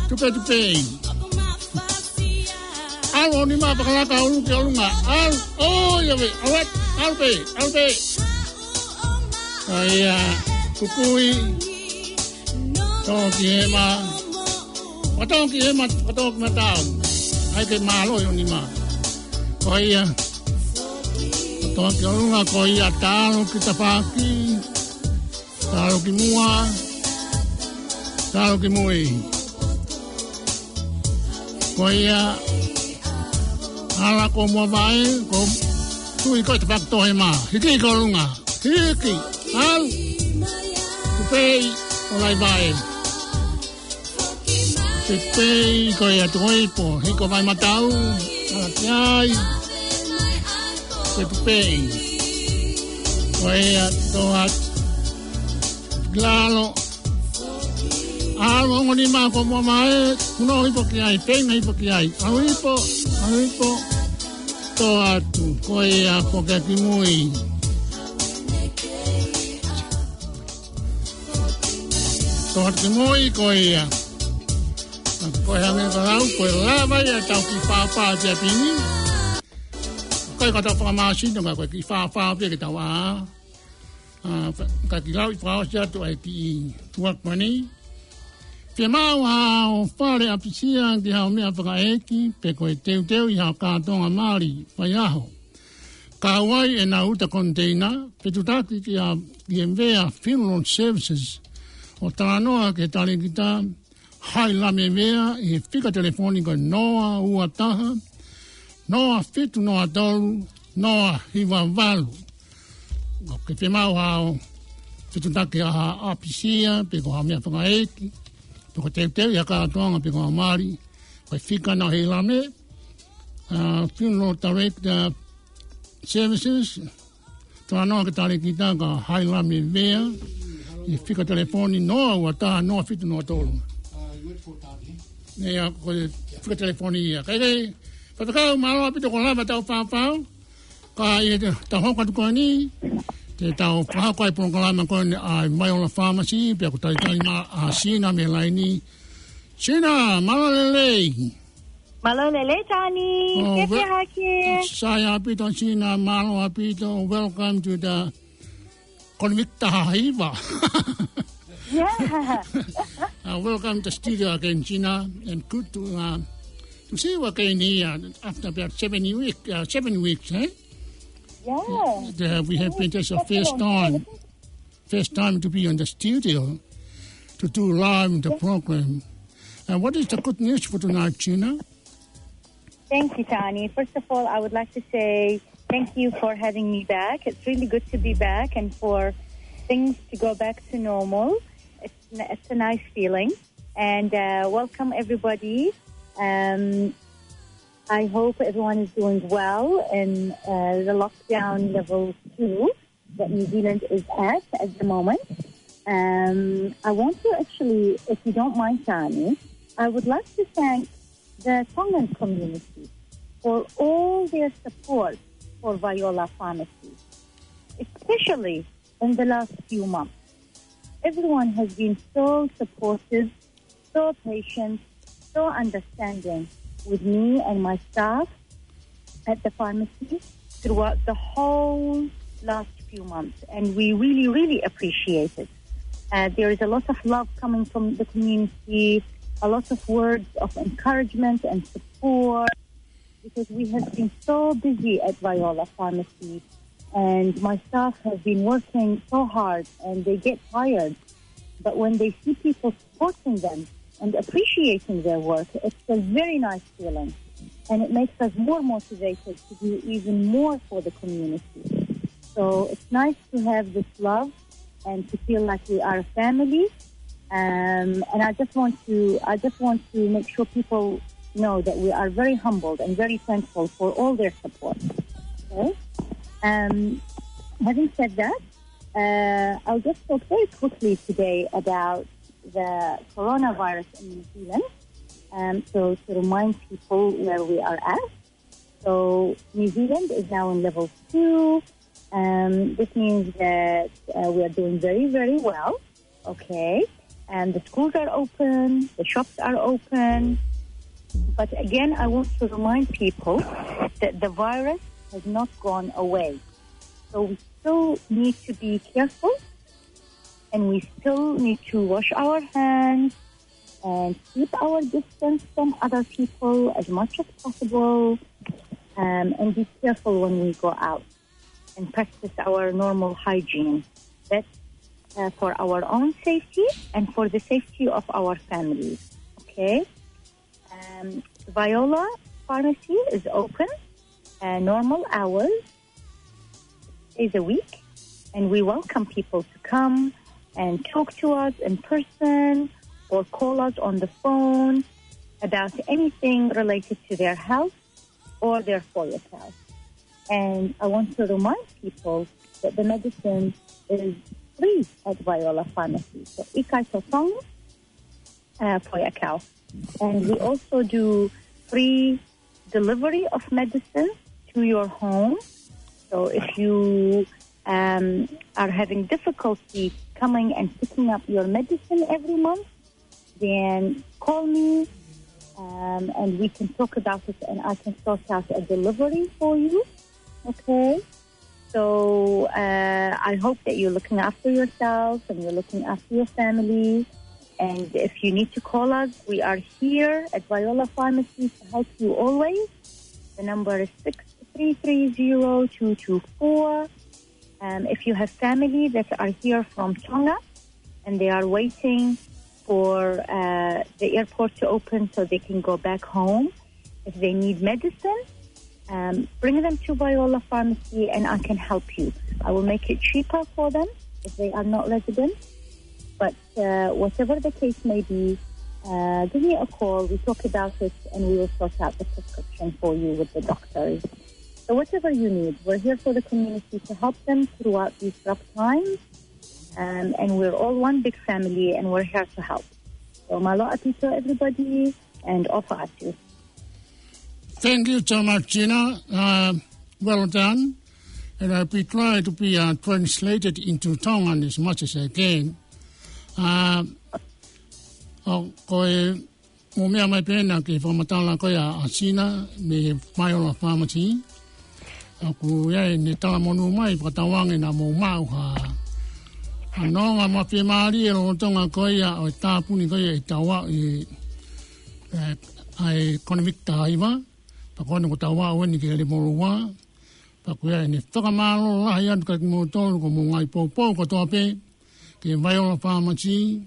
Tupetupeʻi. ʻAlu ongo nima pakalaka ʻo ʻalu ki ʻolunga. ʻAlu, ʻo ia vē, ʻalu atu, ʻalu pē, ʻalu pē. Ko ia, kukui, toki hema, ʻo toki hema, ʻo toki matau. ʻAi ke mālō ʻi ʻolunga. Ko ia, ʻo toki ʻolunga, ko ia, talu ki tafaʻaki, talu ki muʻa, talu ki mui. Ko ia, ʻalu ko muʻa vaʻe, ko tui ko e tafaʻaki toʻo hema. Hiki ki ʻolunga. Hiki. ʻAlu. Tupeʻi. ʻO lai vaʻe. Tupeʻi ko ia tuʻu ipo. Hiki ko vaʻe matau. ʻAlu ki ai. Tupeʻi. Ko ia toʻo atu. Lalo. ʻAlu ongo nima ko muʻa vaʻe, kuno ipo ki ai, feinga ipo ki ai. ʻAlu ipo, ʻalu ipo. Tō atu, ko ia, ko ke ki mui. Tō atu ki mui, ko ia. Ko e hangē ko e lau, ko e lava ia ʻetau kiʻi fāfā ʻi he ʻapi ni. Ko e kata fakamāsino, ka ko e kiʻi fāfā pē ke tau ʻā. ʻA, ka, ka kiʻi lau ʻi fakaʻosi atu ai ki he tuʻa ko eni. Fiemaʻu haʻo fale ʻapisia ki haʻo meʻa fakaʻeiki, pe ko e teuteu ʻi haʻo kātoanga mali, faiʻaho. Kau ai ʻena uta koniteina, fetuʻutaki kia, kia Vea Funeral Services, ʻo talanoa ki he talēkita, Hailame Vea, ʻi he fika telefoni ko e noa ua taha, noa fitu noa tolu, noa hiva valu. ʻOku ke fiemaʻu haʻo fetuʻutaki ʻa haʻo ʻapisia, pe ko haʻo meʻa fakaʻeiki, pe ko e teuteu ʻi haʻo kātoanga, pe ko haʻo mali, ko e fika naʻe ʻi Hailame, ʻa, Funeral Director Services, talanoa ki he talēkita ko Hailame Vea, ʻi he fika telefoni noa ua taha noa fitu noa tolu. ʻIo, ko e fika telefoni ia. Kae kehe, Faifekau, mālō ʻaupito ko e lava ʻetau fāfā. Ka ʻi heʻetau hoko atu ko eni, te tau fakahoko ai e polokalama ko eni ʻa e Viola Pharmacy, pea ʻoku talitali mai ʻa Sina mei he laini. Sina, mālō e lelei. Mālō e lelei, Tani. Oh, ke wel-, pehē hake. Sai ʻaupito, Sina, mālō ʻaupito. Welcome to the Konvik Taha Hiva. Yeah. Uh, welcome to studio again, Sina, and good to, uh, to see you again here after about seven week, uh, seven weeks, eh? Yeah. Uh, we have been, this is the first time. First time to be on the studio to do live the program. And what is the good news for tonight, Sina? Thank you, Tani. First of all, I would like to say thank you for having me back. It's really good to be back and for things to go back to normal. It's, it's a nice feeling. And, uh, welcome, everybody. Um, I hope everyone is doing well in, uh, the lockdown level two that New Zealand is at at the moment. Um, I want to actually, if you don't mind, Tani, I would like to thank the Tongan community for all their support for Viola Pharmacy, especially in the last few months. Everyone has been so supportive, so patient, so understanding with me and my staff at the pharmacy throughout the whole last few months, and we really, really appreciate it. Uh, there is a lot of love coming from the community, a lot of words of encouragement and support, because we have been so busy at Viola Pharmacy, and my staff have been working so hard, and they get tired. But when they see people supporting them and appreciating their work, it's a very nice feeling. And it makes us more motivated to do even more for the community. So it's nice to have this love and to feel like we are a family. Um, and I just want to, I just want to make sure people know that we are very humbled and very thankful for all their support. Okay? Um, having said that, uh, I'll just talk very quickly today about the coronavirus in New Zealand. Um, so to remind people where we are at. So New Zealand is now in level two. Um, this means that, uh, we are doing very, very well. Okay. And the schools are open, the shops are open. But again, I want to remind people that the virus has not gone away. So we still need to be careful, and we still need to wash our hands and keep our distance from other people as much as possible, um, and be careful when we go out and practice our normal hygiene. That's, uh, for our own safety and for the safety of our families. Okay? Um, Viola Pharmacy is open, uh, normal hours, days a week, and we welcome people to come and talk to us in person or call us on the phone about anything related to their health or their forecasts. And I want to remind people that the medicine is free at Viola Pharmacy. So ʻikai tō tongi, uh, for your account. And we also do free delivery of medicine to your home. So if you, um, are having difficulty coming and picking up your medicine every month, then call me, um, and we can talk about it, and I can sort out a delivery for you. Okay? So, uh, I hope that you're looking after yourself and you're looking after your family. And if you need to call us, we are here at Viola Pharmacy to help you always. The number is six three three zero two two four. Um, if you have family that are here from Tonga and they are waiting for, uh, the airport to open so they can go back home, if they need medicine, um, bring them to Viola Pharmacy and I can help you. I will make it cheaper for them if they are not residents. But, uh, whatever the case may be, uh, give me a call. We talk about it and we will sort out the prescription for you with the doctors. So whatever you need, we're here for the community to help them throughout these rough times. Um, and we're all one big family and we're here to help. So mālō ʻaupito, everybody, and ʻofa atu. Thank you so much, Gina. Uh, well done. And I'll be trying to be, uh, translated into Tongan as much as I can. Uh, ʻo, ko e, mo meʻa mai pē ena ki he fakamatala ko ia ʻa Gina mei he Viola Pharmacy. ʻOku ʻi ai ʻene talamonū mai, fakatauange naʻa mou maʻu ha, ha nonga mafiemālie lolotonga ko ia ʻo e tāpuni ko ia ʻi Tauaʻu ʻi, ē, ʻa e Koniviki taha hiva, pea ko eni ko Tauaʻu eni ki he level ua, pea ʻoku ʻi ai ʻene fakamālō lahi atu kiate kimoutolu ko hoʻomou ngaahi poupou kotoa pē ki he Viola Pharmacy,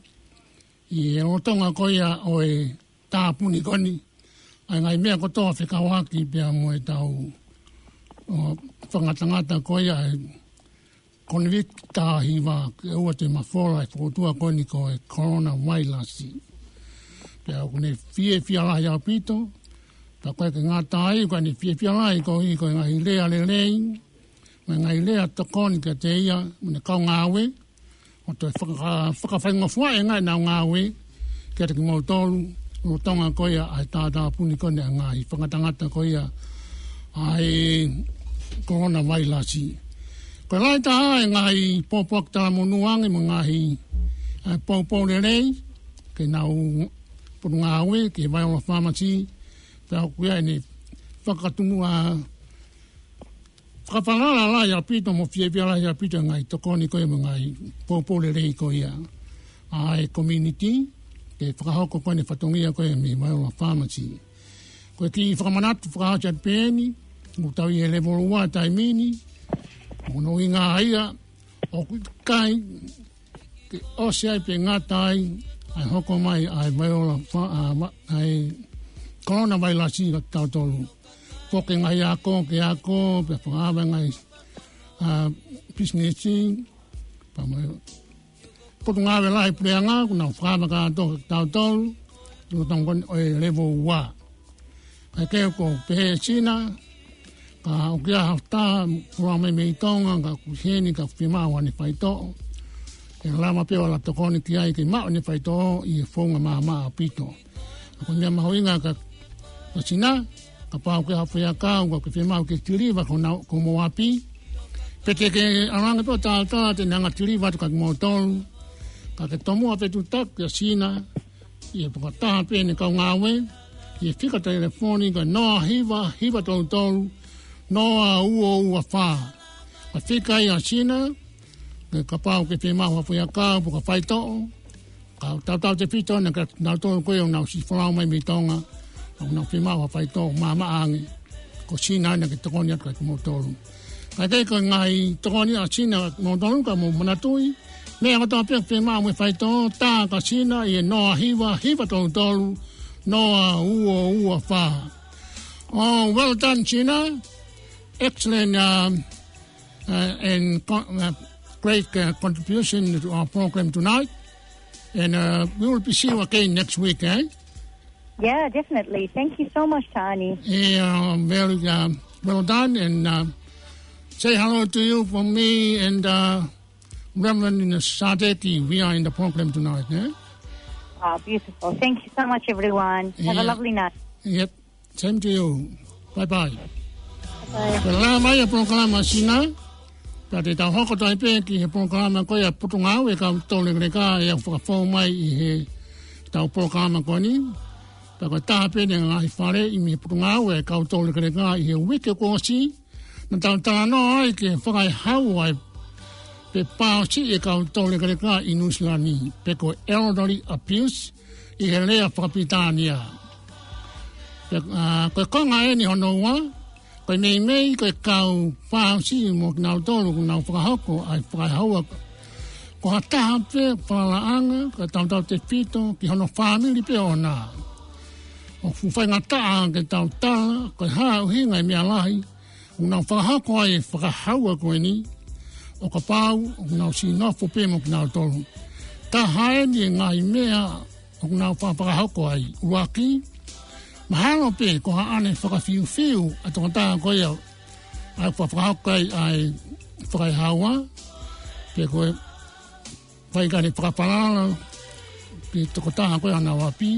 ʻi he lolotonga ko ia ʻo e tāpuni ko eni, ʻa e ngaahi meʻa kotoa fekauʻaki pea mo e tau, ʻo, fakangatangata ko ia ʻa e Koniviki taha hiva, ke ʻoua te mafola e fokotuʻu ko eni ko e Corona Virus. Pea ʻoku ne fiefia lahi ʻaupito, pea ʻoku ʻikai ke ngata ai, ʻoku ne fiefia lahi koeʻuhi ko e ngaahi lea lelei, mo e ngaahi lea tokoni kiate ia mo ʻene kau ngāue, ʻo toe faka-, fakafaingofuaʻi e ngaahi ʻenau ngāue kiate kimoutolu, lolotonga ko ia ʻa e tātāpuni ko eni ʻa e ngaahi fakangatangata ko ia ʻa e Corona Virus. Ko e lahi taha e ngaahi pōpoaki talamonū ange mo e ngaahi, ē, poupou lelei ki heʻenau potungāue, ki he Viola Pharmacy, pea ʻoku ʻi ai ʻene fakatumu ʻa fakafalala lahi ʻaupito mo fiefia lahi ʻaupito e ngaahi tokoni ko ia mo e ngaahi poupou lelei ko ia ʻa e community, ke fakahoko ko eni e fatongia ko ia mei he Viola Pharmacy. Ko e kiʻi fakamanatu fakaʻosi atu pē eni, ʻoku tau ʻi he level ua taimi ni, ʻoku ne ʻuhinga ia, ʻoku ʻikai ke ʻosi ai pe ngata ai ʻa e hoko mai ʻa e Viola Pha-, ʻa, ma-, ʻa e Corona Virus kiate kitautolu. Foki e ngaahi ako, ke ako, pea fakaava e ngaahi, ʻa, business, pea mo e potungāue lahi puleʻanga, ʻoku nau fakaava kātoa kiate kitautolu, lolotonga ko eni ʻo e level ua. Kae kehe ʻoku pehē ʻe Sina, ka ʻoku ʻi ai ha taha folau mai mei Tonga, ka ʻoku ʻi heni, ka ʻoku fiemaʻu haʻane faitoʻo, ʻe lava pē ʻo ala tokoni ki ai ke maʻu ʻene faitoʻo ʻi he founga maʻamaʻa ʻaupito. Ka ko e meʻa mahuʻinga kia, kia Sina, kapau ʻoku ʻi ai ha faiako, ka ʻoku ke fiemaʻu ke tiliva ki honau, ki homou ʻapi, pe te ke ʻalu ange pē ʻo talatala te ne hanga ʻo tiliva atu kiate kimoutolu, ka ke tomuʻa pē tuʻu tapu kia Sina, ʻi he fakataha pē ʻene kau ngāue, ʻi he fika telefoni ko e noa hiva hiva tolu tolu, noa ua ua fā. Ko e fika ia ʻa Sina, ke kapau ʻoku ke fiemaʻu ha faiako, pe ko ha faitoʻo, ka tautautefito ena kia kinautolu ko ia ʻoku nau siʻi folau mai mei Tonga, ʻoku nau fiemaʻu ha faitoʻo maʻamaʻa ange, ko Sina ena ke tokoni atu kiate kimoutolu. Kae kehe ko e ngaahi tokoni ʻa Sina kiate kimoutolu, ka mou manatuʻi, meʻa kotoa pē ʻoku fiemaʻu mo e faitoʻo, tā kia Sina ʻi he noa hiva hiva tolu tolu, noa ua ua fā. Oh, well done, Sina. Excellent, um, uh, and co-, uh, great, uh, contribution to our program tonight. And, uh, we will be see you again next week, eh? Yeah, definitely. Thank you so much, Tani. Yeah, very, uh, well done. And, uh, say hello to you from me and, uh, Reverend Sadeki. We are in the program tonight, eh? Ah, beautiful. Thank you so much, everyone. Have a lovely night. Yep. Same to you. Bye-bye. Ko e lava mai ʻa e polokalama Sina, pea te tau hoko atu ai pē ki he polokalama ko ia Potungāue Kau Taulekeleka ʻe ʻalu fakafou mai ʻi heʻetau polokalama ko eni. Pea ko e taha pē eni e ngaahi faleʻi mei he Potungāue Kau Taulekeleka ʻi he uike kuo ʻosi, naʻa tau talanoa ai ki he fakaehaua ʻa e pe pāosiʻi ʻa e kau taulekeleka ʻi Nuʻusila ni, pe ko e elderly abuse ʻi he lea fakapilitānia. Pea, ʻa, ko e konga eni hono ua, ko e meimei ko e kau pāosiʻi mo kinautolu ʻoku nau fakahoko ʻa e fakaehaua, ko ha taha pē falalaʻanga, ko e tautautefito ki hono fāmili pē ʻoʻona. ʻOku faingataʻa ke tau tala ko e hā ʻa e ʻuhinga ʻa e meʻa lahi ʻoku nau fakahoko ai e fakaehaua ko eni, ʻo kapau ʻoku nau siʻi nofo pē mo kinautolu. Taha eni e ngaahi meʻa ʻoku nau fa-, fakahoko ai. ʻUluaki, mahalo pē ko haʻane fakafiufiu ʻa e tokotaha ko ia ʻa ia ʻoku fakahoko ai ʻa e fakaehaua, pe ko e faʻahinga fakapalala ki he tokotaha ko ia ʻi honau ʻapi.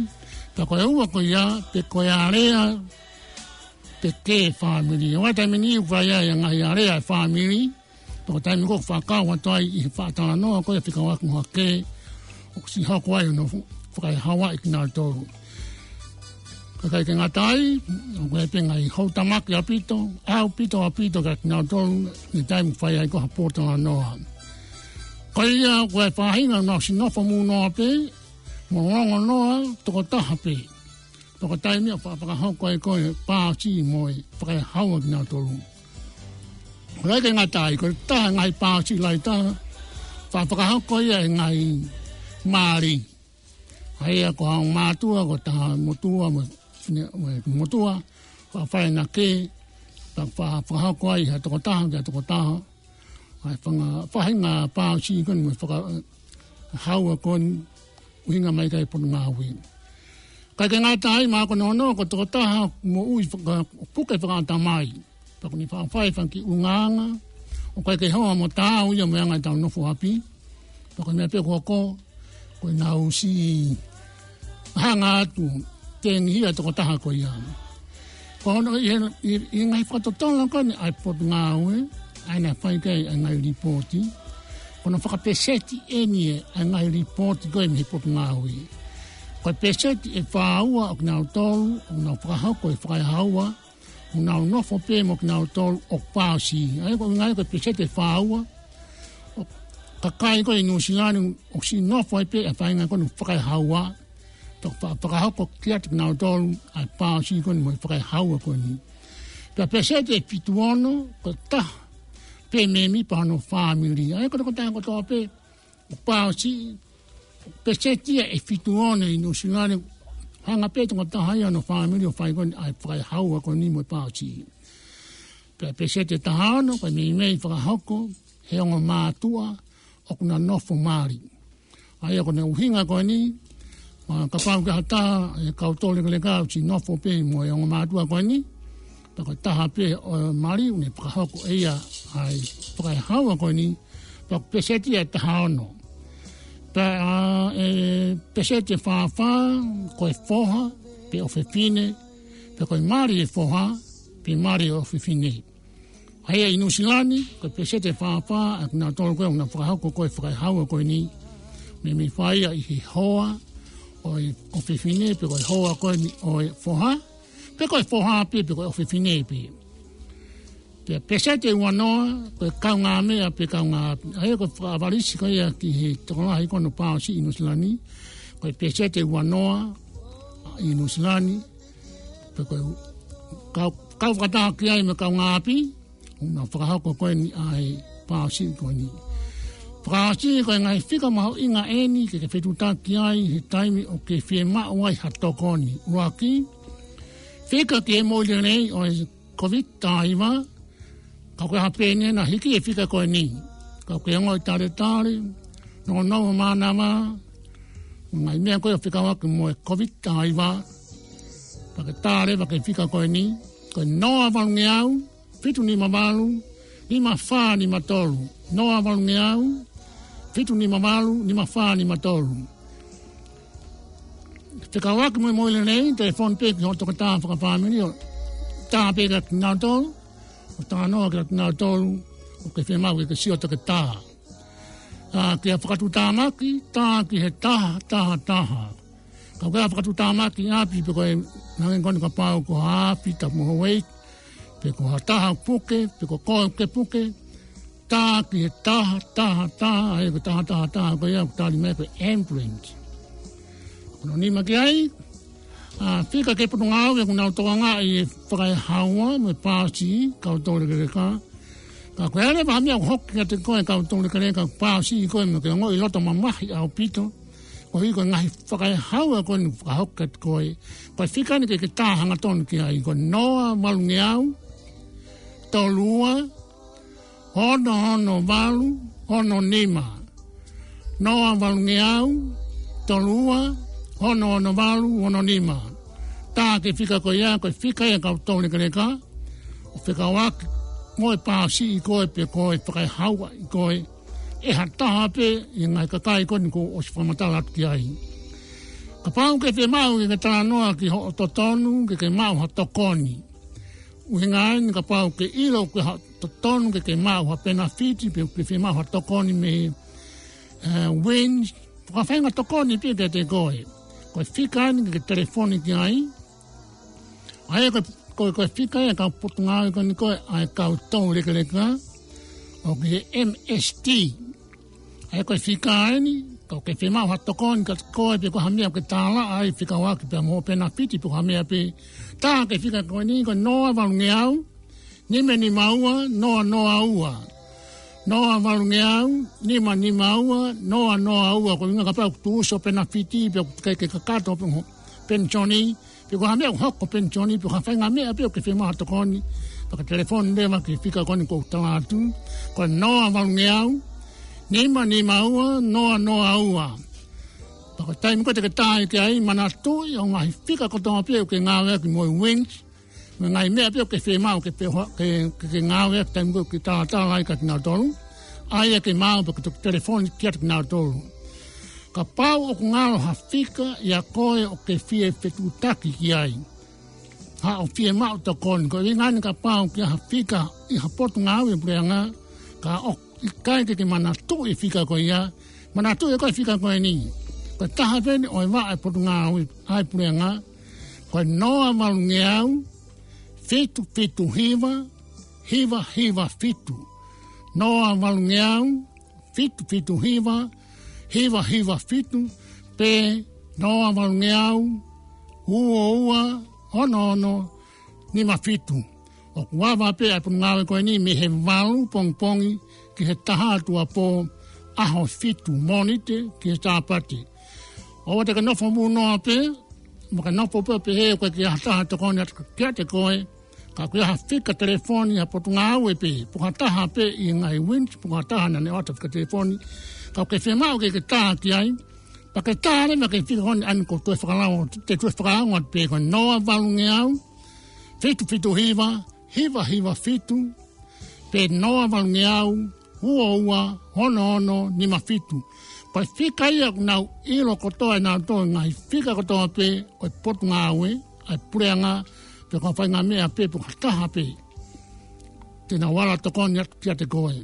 Pea ko e ua ko ia, pe ko e alea pe kē fāmili. ʻOku ʻi ai e taimi ʻoku fai ai e ngaahi alea ʻa e fāmili, pea ko e taimi ko ē ʻoku fakakau atu ai ʻi he faʻa talanoa ko ia fekauʻaki mo ha kē ʻoku siʻi hoko ai hono fakaehauaʻi kinautolu. Kae ʻikai ke ngata ai, ʻoku ʻi ai pē ngaahi houtamaki ʻaupito, ʻaupito, ʻaupito kia kinautolu ʻi he taimi ʻoku fai ai ko ē ha pōtalanoa. Ko ia ko e faʻahinga ʻoku nau siʻi nofo mui noa pē, mo longonoa tokotaha pē. Pea ko e taimi ʻoku faʻa fakahoko ai ko ē e pāosiʻi mo e fakaehaua kinautolu. Kae ʻikai ke ngata ai, ko e taha e ngaahi pāosiʻi lahi taha, faʻa fakahoko ia ʻe he ngaahi mali. ʻA ia ko ha ongo mātuʻa, ko ha taha motuʻa, mo, mo, motuʻa, faʻa fai ʻena kē, faʻa, faʻa fakahoko ai ha tokotaha ki ha tokotaha. ʻA e fanga, faʻahinga pāosiʻi ko eni mo e fakaehaua ko eni, ʻuhinga mai ki ai e Potungāue. Kae ʻikai ke ngata ai, mahalo ko hono ono, ko e tokotaha moʻui faka-, puke fakaʻatamai. Pea ʻoku ne faʻa fai e fanga kiʻi ʻulungaanga ʻoku ʻikai ke hoa mo taau ia mo e anga ʻetau nofo ʻapi. Pea ko e meʻa pē ʻoku hoko, ko ʻenau siʻi hanga atu, tengihia e tokotaha ko ia. Ko hono ʻi he, ʻi, ʻi he ngaahi fakatotolo ko eni ʻa e Potungāue, ʻa ia naʻe fai ki ai ʻa e ngaahi lipooti, ko hono fakapeseti eni ʻa e ngaahi lipooti ko ē mei he Potungāue. Ko e peseti ʻe fāua ʻo kinautolu ʻoku nau fakahoko e fakaehaua, ʻoku nau nofo pē mo kinautolu ʻoku pāosiʻi. ʻA ia ko e ʻuhinga ia ko e peseti ʻe fāua ʻo e kakai ko ē ʻi Nuʻusila ni ʻoku siʻi nofo ai pē ʻa e faʻahinga ko eni ʻoku fakaehaua, pea fa-, fakahoko kiate kinautolu ʻa e pāosiʻi ko eni mo e fakaehaua ko eni. Pea peseti ʻe fitu ono, ko e taha pē mēmipa hono fāmili. ʻA ia ko e tokotaha kotoa pē ʻoku pāosiʻi, peseti ia ʻe fitu ono ʻi Nuʻusila ni, hanga pē tokotaha ia hono fāmili ʻo fai ko eni ʻa e fakaehaua ko eni mo e pāosiʻi. Pea peseti ʻe taha ono, ko e meimei fakahoko ʻe he ongo mātuʻa ʻoku na nofo mali. ʻA ia ko hono ʻuhinga ko eni, ʻa, kapau ko ha taha e kau taulekeleka ʻoku siʻi nofo pē mo e ongo mātuʻa ko eni, pea ko e taha pē ʻo mali ʻoku ne fakahoko ʻe ia ʻa e fakaehaua ko eni, pea ko e peseti ia ʻe taha ono. Pea, ʻa, e peseti ʻe fā fā, ko e foha, pe ʻofefine, pe ko e mali ʻo e foha, pe mali ʻo e ʻofefine. ʻA ia ʻi Nuʻusila ni, ko e peseti ʻe fā fā ʻa kinautolu ko ē ʻoku nau fakahoko ko ē e fakaehaua ko eni, meimei fai ia ʻi he hoa ʻo e ʻofefine, pe ko e hoa ko eni ʻo e foha, pe ko e foha pē, pe ko e ʻofefine pē. Pea peseti ʻe ua noa, ko e kaungāmeʻa pe kaungāʻapi. ʻA ia ko e fakaʻavalisi ko ia ki he tokolahi ko ē hono pāosiʻi ʻi Nuʻusila ni, ko e peseti ʻe ua noa ʻi Nuʻusila ni, pe ko e kau, kau fakataha ki ai mo e kaungāʻapi, ʻoku nau fakahoko ko eni ʻa e pāosiʻi ko eni. Fakaʻosi ko e ngaahi fika mahuʻinga eni ke ke fetuʻutaki ai he taimi ʻoku ke fiemaʻu ai ha tokoni. ʻUluaki, fika ki he moʻui lelei ʻo e Covid taha hiva, ka ko e hā pē eni naʻa hiki e fika ko eni. Ka ʻoku ke ongoʻi taletale, nounou mānava, ngaahi meʻa ko ē ʻoku fekauʻaki mo e Covid taha hiva, pea ke tā leva ki he fika ko eni, ko e noa valungeau, fitu nima valu, nima fā nima tolu. Noa valungeau, fitu nima valu, nima fā nima tolu. Fekauʻaki mo e moʻui lelei, telefoni pē ki hoʻo tokotaha fakafāmili ʻo tā pē kia kinautolu, Talanoa kia kinautolu ʻoku ke fiemaʻu ke ke sio ʻo ke tā. ʻA, ki ha fakatuʻutāmaki, tā ki he taha, taha, taha. Ka ko e fakatuʻutāmaki ʻapi pe ko e hangē ko eni kapau ko ha afi tapu mo Hawaii, pe ko ha taha puke, pe ko koe ke puke, tā ki he taha, taha, taha, ʻa ia ko e taha, taha, taha, ko ia ʻoku tali mai ko e ambulance. Ko hono nima ki ai, ʻa, fika ki he Potungāue ʻoku nau tokangaʻi e fakaehaua mo e paasi, kau toulekeleka. Ka ko e ʻai leva ha meʻa ʻoku hoko kiate koe kau toulekeleka, paasi koe mo ke ongoʻi loto mamahi ʻaupito. Koeʻuhi ko e ngaahi fakaehaua ko eni ʻoku fakahoko kiate koe. Ko e fika eni ke ke tā hangatonu ki ai, ko e noa valungeau, tolu ua, ono ono valu, ono nima. Noa valungeau, tolu ua, ono ono valu, ono nima. Tā ki he fika ko ia, ko e fika ia kau toulekeleka, ʻo fekauʻaki mo e paasi ʻi koe pe ko e fakaehaua ʻi koe ʻe ha taha pē ʻi he ngaahi kakai ko eni kuo ʻosi fakamatala atu ki ai. Kapau ʻoku ke fiemaʻu ke ke talanoa ki hoʻo totonu ke ke maʻu ha tokoni. ʻUhinga eni kapau ʻoku ke ʻilo ʻoku ke ha totonu ke ke maʻu ha penafiti pe ʻoku ke fiemaʻu ha tokoni mei, ʻa, Wins, ko ha faʻahinga tokoni pē kiate koe. Ko e fika eni ke ke telefoni ki ai. ʻA ia ko e, ko e, ko e fika ia kau Potungāue ko eni ko e ʻa e kau toulekeleka ʻoku ʻi he M S T. ʻA ia ko e fika eni, ka ʻoku ke fiemaʻu ha tokoni kiate koe pe ko ha meʻa ʻoku ke tālaʻa ai fekauʻaki pea mo e penafiti pe ko ha meʻa pē. Tā ki he fika ko eni ko e noa valungeau, nima nima ua, noa noa ua. Noa valungeau, nima nima ua, noa noa ua. Ko e ʻuhinga kapau ʻoku tuʻusi hoʻo penafiti pe ʻoku ke, ke kakato pe ho penisoni, pe ko ha meʻa ʻoku hoko ho penisoni, pe ko ha faʻahinga meʻa pē ʻoku ke fiemaʻu ha tokoni, pea ke telefoni leva ki he fika ko eni kuo u tala atu, ko e noa valungeau, nima nima ua, noa noa ua. Pea ko e taimi ko ē te ke tā ki ai, manatuʻi ʻa e ngaahi fika kotoa pē ʻoku ke ngāueʻaki mo e Wins, mo e ngaahi meʻa pē ʻoku ke fiemaʻu ke pē ho-, ke, ke, ke ngāueʻaki taimi ko ē ʻoku ke talatala ai kia kinautolu. ʻA ia ke maʻu pea ke toki telefoni kiate kinautolu. Kapau ʻoku ngalo ha fika ʻia koe ʻoku ke fie fetuʻutaki ki ai, haʻo fiemaʻu tokoni, ko e ʻuhinga eni kapau ʻoku ʻi ai ha fika ʻi ha Potungāue Puleʻanga, ka ʻoku ʻikai ke ke manatuʻi e fika ko ia, manatuʻi ʻe koe e fika ko eni. Ko e taha pē eni ʻo e vaʻa ʻa e Potungāue ʻa e Puleʻanga, ko e noa valungeau, fitu fitu hiva, hiva hiva fitu. Noa valungeau, fitu fitu hiva, hiva hiva fitu, pe noa valungeau, ua ua, ono ono, nima fitu. ʻOku ava pē ʻa e Potungāue ko eni mei he valu pongipongi ki he taha tuʻuapō, ʻaho fitu, Mōnite ki he Sāpate. ʻOua te ke nofo munoa pē, mo ke nofo pē ʻo pehē ʻoku ʻikai ke ʻi ai ha taha tokoni atu kiate koe, ka ʻoku ʻi ai ha fika telefoni ʻa e Potungāue pē, pe ko ha taha pē ʻi he ngaahi Wins, pe ko ha taha naʻa ne ʻoatu e fika telefoni, ka ʻoku ke fiemaʻu ke ke tā ki ai, pea ke tā leva ki he fika ko eni ʻa eni ʻoku ou toe fakalau, te u toe fakalau atu pē, ko e noa valungeau, fitu fitu hiva, hiva hiva fitu, pe noa valungeau, ua ua, ono ono, nima fitu. Ko e fika ia ʻoku nau ʻilo kotoa ʻe nautolu e ngaahi fika kotoa pē ʻo e Potungāue ʻa e Puleʻanga, pe ko ha faʻahinga meʻa pē, pe ko ha taha pē te nau ala tokoni atu kiate koe.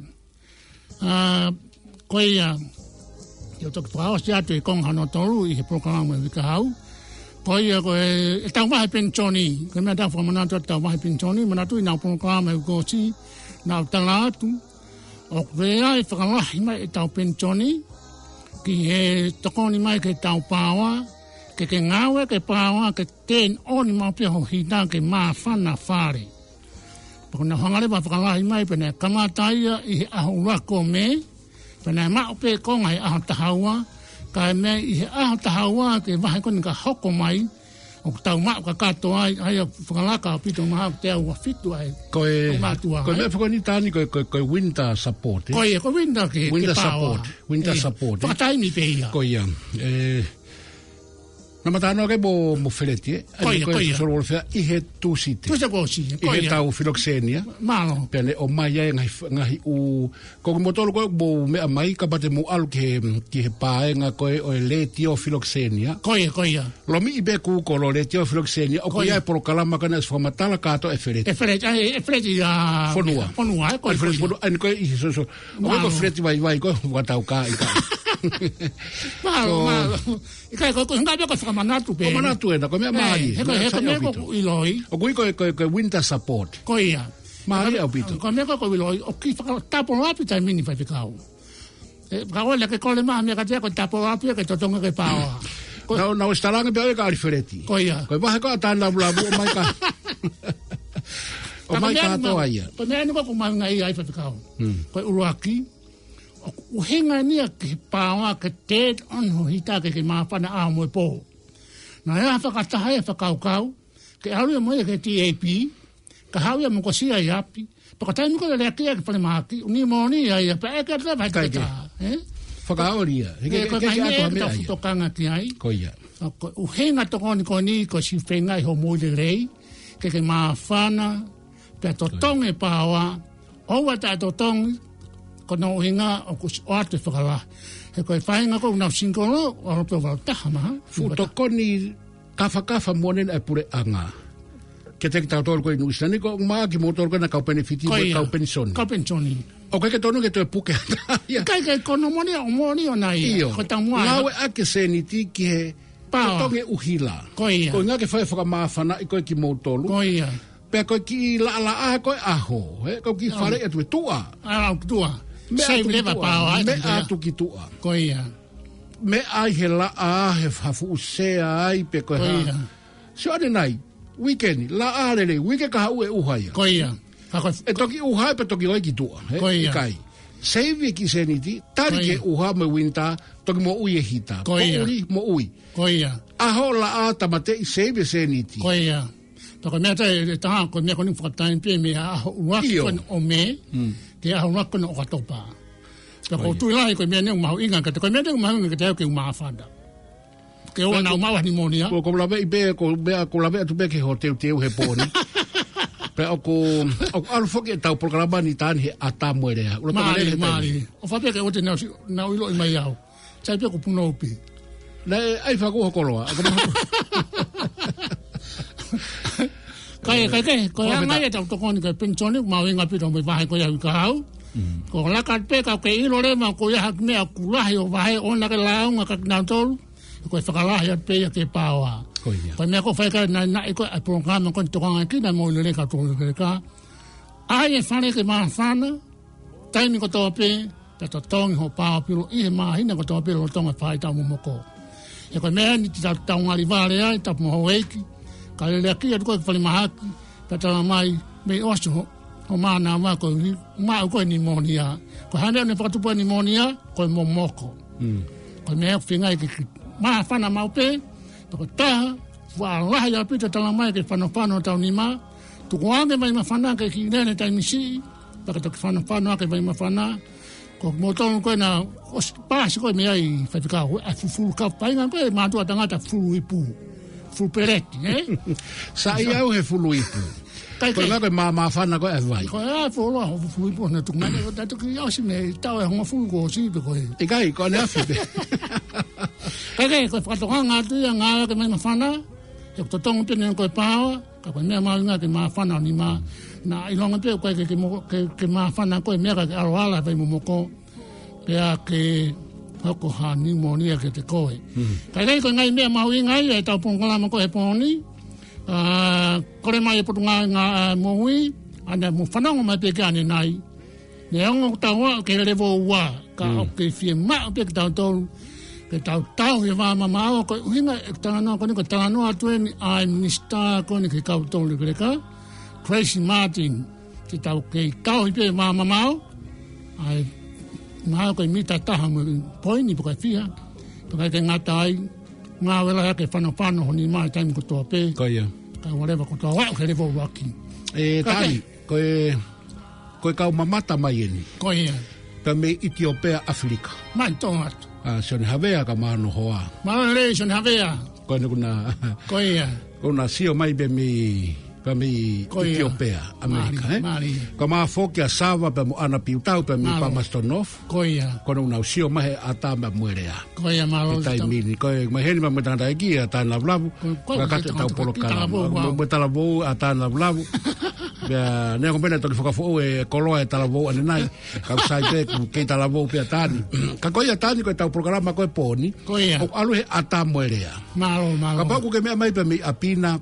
ʻA, ko ia, te u toki fakaʻosi atu e konga hono tolu ʻi he polokalama ʻo e uike kahaʻu. Ko ia ko e, ʻetau vahe penisoni, ko e meʻa te u fakamanatu atu ʻetau vahe penisoni, manatuʻi ʻenau polokalama ʻi he uike kuo ʻosi, naʻa ku tala atu, ʻoku ʻi ai e fakalahi mai ʻetau penisoni, ki he tokoni mai ki heʻetau paoa, ke ke ngāueʻaki e paoa, ke turn on maʻu pē ho hita ke māfana fale. Pea ko ʻenau hanga leva ʻo fakalahi mai pea naʻe kamata ia ʻi he ʻaho ʻuluaki ʻo Mē, pea naʻe maʻu pē konga he ʻaho taha ua, kae meʻa ʻi he ʻaho taha ua ki he vahe ko eni ka hoko mai, ʻoku tau maʻu kakato ai, ʻa ia ʻoku fakalaka ʻaupito mahalo ki he teau ua fitu ai. Ko e, ʻo mātuʻa ko e ai. Meʻa foki eni Tani, ko e, ko e, ko e winter support, ē? Ko ia, ko e winter ke, ke Winter paoa. Support, winter Ē, support, ē? Fakataimi pē ia. Ko ia, ē, Mata noa ke mo, mo Feleti, ē? Ko ia, ko ia. Solo Wolofea ʻi he Tūsite. Tūsite kuo ʻosi, ʻi he tau filokisenia. Mālō. Pea ne ʻomai ai ngaahi, ngaahi ʻū, ko kimoutolu ko ē mo meʻa mai, kapau te mo ʻalu ki he, ki he paenga ko ē ʻo e letiō filokisenia. Ko ia, ko ia. Lomiʻi pē Google letiō filokisenia, ʻoku ʻi ai e polokalama ko ena ʻoku fakamatala kātoa ʻe Feleti. ʻE Feleti, ʻa e, ʻe Feleti ʻa Fonua. Fonua, ē, ko ia, Feleti ko ia. Fonua, ʻa eni ko ē ʻi he soso. Mālō. ʻOku ʻi ai ko Feleti Vaivai, ko e fakatau ka, ʻikai. Mālō, mālō. ʻIkai, ko, ko e hinga pē ko e fakamanatu pē. Ko e manatu ena, ko e meʻa mālie. He ko e, he ko e meʻa ko ʻoku ʻiloʻi. ʻOku ʻi ai ko e, ko e, ko e winter support. Ko ia. Mālie ʻaupito. Ko e meʻa ko ē ʻoku ʻiloʻi, ʻoku kiʻi fakatapolo ʻapi taimi ni Faifekau. ʻE, ka ʻoua ke kole mai ha meʻa kiate au, ko e tapolo ʻapi ke totongi ke paoa. Ko e, naʻá ku, naʻá ku ʻosi talaange pē ʻe au kia Feleti. Ko ia. Ko e vahe ko ē ʻa e tānavulavu ʻomai ka. ʻOmai ka meʻa ni kātoa ia. Ko e meʻa ni ko ē ʻoku mahuʻinga ai Faifekau. Hmm. Ko e ʻuluaki, ʻoku ʻuhinga eni ia ki he paoa ke tētonu ho hita ke ke māfana ʻaho mo e pō. Naʻe ʻi ai ha fakataha ʻi he fakakaukau, ke ʻalu ia mo ia ki he T A P, ka haʻu ia mo e kosi ʻi ʻapi, pea ko e taimi ko ē lele ʻaki ia ki falemahaki, ʻū nimōnia ia, pea ʻeke atu leva ʻe he ʻikai ke. Toketā, ē? Fakaoli ia. He ʻikai ke, ko e ʻikai ke ʻi ai ha meʻa ke tau meʻa ia. Fakatokanga ki ai. Ko ia. ʻA ko e ʻuhinga tokoni ko eni ko e siʻi feinga ʻi hoʻo moʻui lelei, ke ke māfana, pea totongi e paoa, ʻoua te ke totongi, ko hono ʻuhinga ʻoku ʻosi ʻoatu e fakalahi. He ko e faʻahinga ko ē ʻoku nau singolo, ʻalu pē ʻo valu taha mā, ha? Fuʻu tokoni kafakafa moʻoni ʻa e puleʻanga. Kiate kitautolu ko ē ʻi Nuʻu Sila ni, ko e ʻumaʻā kimoutolu ko ena kau penefiti, ko ia, kau penisoni. Kau penisoni. ʻOku ʻikai ke tonu ke toe puke ʻa ia. ʻIkai ke kono moʻoni ʻo moʻoni ʻo nai. ʻIo. Ko e taumuʻa. Ngāueʻaki e sēniti ki he paoa. Totongi e ʻuhila. Ko ia. Ko e ʻuhinga ke fai e fakamāfanaʻi ko ē kimoutolu. Ko ia. Pea ko e kiʻi laʻalaʻā ko ē ʻaho, ē? Ko e kiʻi fale atu e tuʻa. ʻA, ʻalu ki tuʻa. Meʻa atu ki tuʻa. Save leva paoa, ē, meʻa atu ki tuʻa. Ko ia. Meʻa ai he laʻā, he fuʻu sea ai, pe ko e hā. Ko ia. Sio ʻanenai, uike ni, laʻā lelei, uike kahaʻu ʻe ʻuha ia. Ko ia. Ka ko e ʻe toki ʻuha pea toki ō ai ki tuʻa, ē? Ko ia. ʻIkai. Save e kiʻi sēniti, tali ke ʻuha mo e winter, toki moʻui e hita. Ko ia. Poʻuli, moʻui. Ko ia. ʻAho, laʻā, tāmateʻi, save e sēniti. Ko ia. Pea ko e meʻa ʻe taha, ko e meʻa ko eni fakataimi pē mei he ʻaho ʻuluaki ko ē ʻo Mē, ki he ʻaho ʻuluaki ko ē ʻo ʻOkatopa. Pea ʻoku ou tui lahi ko e meʻa ni ʻoku mahuʻinga kiate, ko e meʻa ni ʻoku mahuʻinga kiate au ke u māfana. Ke ʻoua naʻa maʻu ha nimōnia. Ko, ko e laveʻi pē, ko e meʻa, ko e laveʻi atu pē ki hoʻo teuteu he pō ni. Pea ʻoku, ʻoku ʻalu foki ʻetau polokalama ni taimi ni he ʻata mo e lea. ʻUla tama lele he taimi. Mālie, mālie. ʻOfa pē ke ʻoua te nau si-, nau ʻiloʻi mai au. Sai pē ʻoku punou pē. Naʻe ʻai fakahoko loa. Kae, kae kehe, ko e anga ia ʻetau tokoni ki he penisoni, mahuʻinga ʻaupito mo e vahe ko ia ʻoku ʻi ai au. Ko e laka pē ka ke ʻilo leva ko e hā e meʻa ʻoku lahi ʻo vahe ʻoua ke lāunga kia kinautolu. Ko e fakalahi atu pē ia ki he paoa. Ko ia. Ko e meʻa ʻoku fai ka naʻinaʻi ko ē ʻa e polokalama ko eni tokangaʻi kinautolu mo e lele ka tolu lele ka. ʻAi e fale ke māfana, taimi kotoa pē, pea totongi hoʻo paoa pilo ʻi he māhina kotoa pē lolotonga e faʻahitaʻu momoko. He ko e meʻa ni te tau, tau ngali vale ai, tapu mo houʻeiki, ka lele ʻaki atu ko ē ki falemahaki, pea tala mai, mei ʻosi ho, ho mānava ko eni, maʻu ko ē nimōnia. Ko e hā e meʻa ʻoku ne fakatupu ai nimōnia, ko e momoko. Mm. Ko e meʻa ʻoku feinga ke, ke māfana maʻu pē, pea ko e taha, fuʻu lahi ʻaupito e tala mai ke fanofano hotau nima, tuku ange e vai māfana ke kiʻi lele taimi siʻi, pea ke toki fanofano ange e vai māfana, ko kimoutolu ko ena ʻosi pasi ko ē mei ai Faifekau, ʻa e fufulu kau painga ko ē, mātuʻa tangata fufulu ipu. Fufulu peleti, ē? Sai au he fufulu ipu. Kae kehe. Ko e ʻuhinga ko e mā-, māfana ko ē ʻa e vai. Ko e ʻa e fufulu, ʻa e fufulu ipu naʻe tuku mai, ko e taʻu toki ʻosi mei he taʻu ʻe hongofulu kuo ʻosi pē ko ē. ʻIkai, ko ʻaneafi pē. Kae kehe, ko e fakatokanga atu ia ngāueʻaki e vai māfana, he ʻoku totongi pē eni ko e paoa, ka ko e meʻa mahuʻinga ke māfana ho nima. Naʻa ʻilonga pē ʻoku ʻikai ke, ke mo-, ke, ke māfana ko e meʻa ka ke ʻalu ʻo ala he vai momoko. Pea ke hoko ha nimōnia kiate koe. Mm. Kae kehe ko e ngaahi meʻa mahuʻinga ia ʻetau polokalama ko ē he pō ni. ʻA, kole mai e Potungāue Ngāue Moʻui, ʻa ena mou fanongo mai pē ki ai ʻanenai. Neongo ʻoku tau aʻu ki he level ua, ka ʻoku kei fiemaʻu pē kitautolu ke tau tauhi e vā mamaʻo, ko e ʻuhinga e talanoa ko eni, ko e talanoa atu eni ʻa e minisitā ko eni ki he kau toulekeleka, Tracey Martin, ke tau kei tauhi pē e vā mamaʻo, ʻa e mamaʻo ko e mita ʻe taha mo e poini pe ko e fiha, pea ʻikai ke ngata ai, ngāue lahi ʻaki e fanofano ho nima he taimi kotoa pē. Ko ia. Kae ʻoua leva kuo tau aʻu ki he level ua ki. ʻE, kae kehe. Tali, ko e Ko e kau mamata mai eni. Ko ia. Pea mei ʻItiopea, ʻAfilika. Mai tō atu. ʻA Sione Havea ka mānohoa. Mālō e lelei Sione Havea. Ko ena kuo na, Ko ia. kuo na sio mai pē mei, pē mei Ko ia. ʻItiopea, ʻAmelika, Mālie, ē? mālie. Ko Mafoki ʻa Sava pea mo ʻAna Piutau pē mei Mālō. Palmerston North. Ko ia. Ko ena kuo na sio mai he ʻatā pea mo e lea. Ko ia, mālō He taimi ni, ko e, maheni ma mo e tangataʻeiki ʻa Tāne Lavulavu. Ko, ko, Ka ko, kata ko, ʻetau ko, ko, polokalama. talavou, Mo, au. mo e talavou ʻa Tāne Lavulavu. Pea, neongo pē naʻe toki fakafoʻou e koloa e talavou ʻanenai. Kau sai pē, ʻoku kei talavou pē ʻa Tāne. Ka ko ia Tāne ko ʻetau polokalama ko e pō ni. Ko ia. ʻOku ʻalu he ʻatā mo e lea. Mālō, mālō. Kapau ʻoku ke meʻa mai pē mei ʻapi na,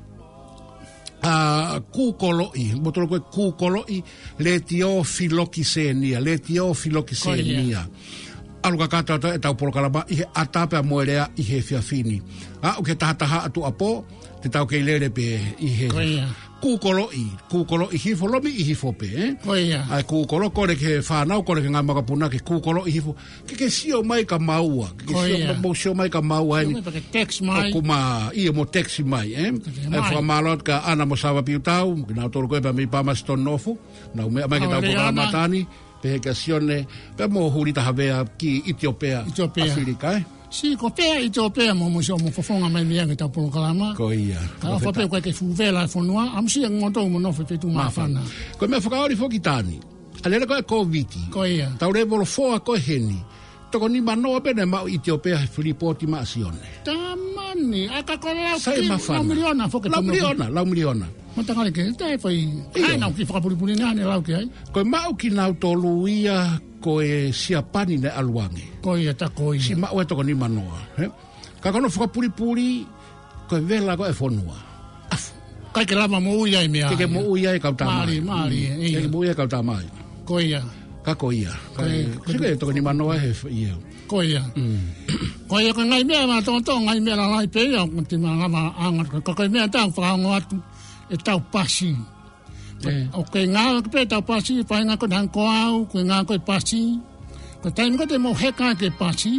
ʻa, kūkoloʻi, mou toloi ko e kūkoloʻi, letiō filokisenia, letiō filokisenia. Ko ia. ʻAlu kakato atu ʻetau polokalama ʻi he ʻatā pea mo e lea ʻi he efiafi ni. ʻA, ʻoku ke tahataha atu ʻapō, te tau kei lele pē ʻi he Ko ia. kūkoloʻi, kūkoloʻi hifo, lomiʻi hifo pē, ē? Ko ia. ʻA e kūkoloʻi, kole ki he fānau, kole ki he ngaahi makapuna ke kūkoloʻi hifo. Ke ke sio mai kia maua, ke ke Ko sio ia. ma-, mou sio mai kia maua eni. Sio mai pea ke text mai. ʻOku ma, ʻio mo text mai, ē? Text ʻA e mai. fakamālō atu kia ʻAna mo Sava Piutau, kinautolu ko ē pē mei Palmerston North, nau meʻa mai ke Mālō tau lelei polokalama ʻAna. Tāne, pehē kia Sione, pea mo Hulita Havea ki ʻItiopea, ʻItiopea. ʻAfilika, ē? Sio ko pea ʻItiopea mo, mo sio mo fofonga mai mei ai ke tau polokalama. Ko ia. Ka Ko ʻofa pē feta. ko e ke fuʻu vela e fonua, ʻamusia kimoutolu mo nofo feituʻu Māfana. māfana. Ko e meʻa fakaoli foki Tāne. ʻA e lele ko e Kōviti. Ko ia. Tau lēvolo foa ko ē heni. Toko nima noa pē naʻe maʻu ʻi ʻItiopea he lipooti maʻa Sione. Tamani, ʻa ka ko e lau Sai ki māfana. lau miliona foki Lau tonu. miliona, lau miliona. Matakale ke, te fai, ʻIo. ʻa ena ʻoku ke fakapulipuli naʻa ne lau ki ai. Ko e maʻu kinautolu ia ko e Siapani naʻe ʻalu ange. Ko ia tā ko ia. Siʻi maʻu e toko nima noa, ē? Ka ko hono fakapulipuli, ko e vela ko ē e fonua. ʻAfu. ʻIkai ke lava moʻui ai e meʻa Ke ke ia. moʻui ai e kau tama. Mālie, mālie, Mm. ʻIo. Ke ke moʻui ai e kau tama. Ko ia. Ka ko ia. Ko Ka ia. ko Sio ia. ki he toko nima noa he f-, ia. Ko ia. Mm. Ko ia ko e ngaahi meʻa mātoʻotoʻo, ngaahi meʻa lalahi pē ia, ʻoku te malava ʻanga. Ka ko e meʻa ʻe taha ʻoku ou fakaongo atu, ʻetau pasi. ʻE. ʻOku ngāueʻaki pē ʻetau pasi, feinga ko ē hangē ko au, ʻoku ngāueʻaki e pasi. Ko e taimi ko ē te mou heka ai ki he pasi,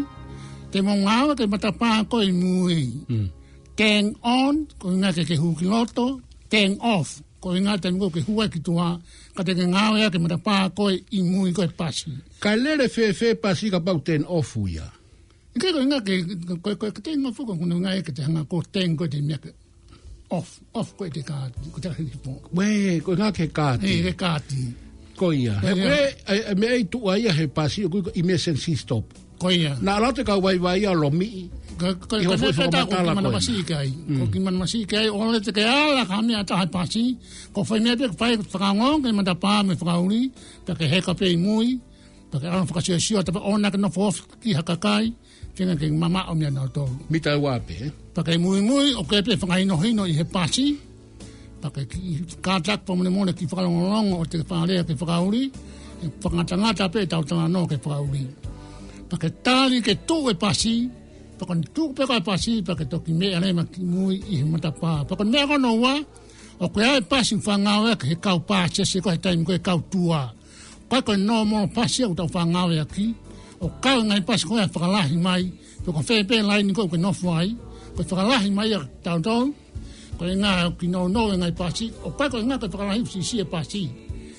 te mou ngāueʻaki e matapā ko ē ʻi mui. Mm. Turn on, ko e ʻuhinga ke ke hū ki loto, turn off, ko e ʻuhinga taimi ko ē ke hū ai ki tuʻa, ka te ke ngāueʻaki e matapā ko ē ʻi mui ko ē he pasi. Kae lele fēfē e pasi kapau turn off ia? ʻIkai ko e ʻuhinga ke, ko, ko, ko e turn off ko e ʻuhinga ia ke te hanga ko e turn ko ē e meʻa ke off, off ko ē e kaati, ko e hiki pō. Uē, ko e ʻuhinga ke kaati. ʻE, ke kaati. Ko ia. Ko ia. He, ʻe, ʻe, meʻa ʻe tuʻu ai ia he pasi ʻoku ui ko e emergency stop. Ko ia. Naʻa lau atu e kau vaivai ia ʻo lomiʻi. Ko, ko, ʻI ko hoʻo e meʻa foʻi pē ʻe taha ʻoku fakamatala kiʻi ko ē. manavasiʻi ki ai. Mm. ʻOku kiʻi manavasiʻi ki ai, ʻoua leva te ke ala ki ha meʻa ʻe taha he pasi, ko e foʻi meʻa pē ke fai, fakaongo ki he matapā mo e fakauli, pea ke heka pē ʻi mui, pea ke ala fakasiosio, tapu ʻoua naʻa ke nofo ofi ki ha kakai, feinga ke mamaʻo meia nautolu. Mita ua pē, ē? Pea ke muimui, ʻoku ʻi ai pē e fakahinohino ʻi he pasi, pea ke kiʻi kātaki pea mo e mole kiʻi fakalongolongo ʻo te ke fakalea ki he fakauli, ʻe fakangatangata pē ʻetau talanoa ki he fakauli. Pea ke tali ke tuʻu e pasi, pea ko ʻene tuʻu pē ko ē e pasi, pea ke toki meʻa leva ki mui ʻi he matapā. Pea ko e meʻa ko hono ua, ʻoku ʻi ai e pasi ʻoku faʻa ngāueʻaki ʻe he kau pāsese ko ē he taimi ko ē e kau tua. ʻIkai ko e normal pasi ia ʻoku tau faʻa ngāueʻaki. ʻOku ʻi ai e ngaahi pasi ko ē ʻe fakalahi mai. Pe ko fē pē laine ko ē ʻoku ke nofo ai. Ko e fakalahi mai ia kiate kitautolu. Ko e ʻuhinga ʻoku nounou e ngaahi pasi. ʻOku ʻikai ko e ʻuhinga ko e fakalahi ʻoku siʻisiʻi e pasi.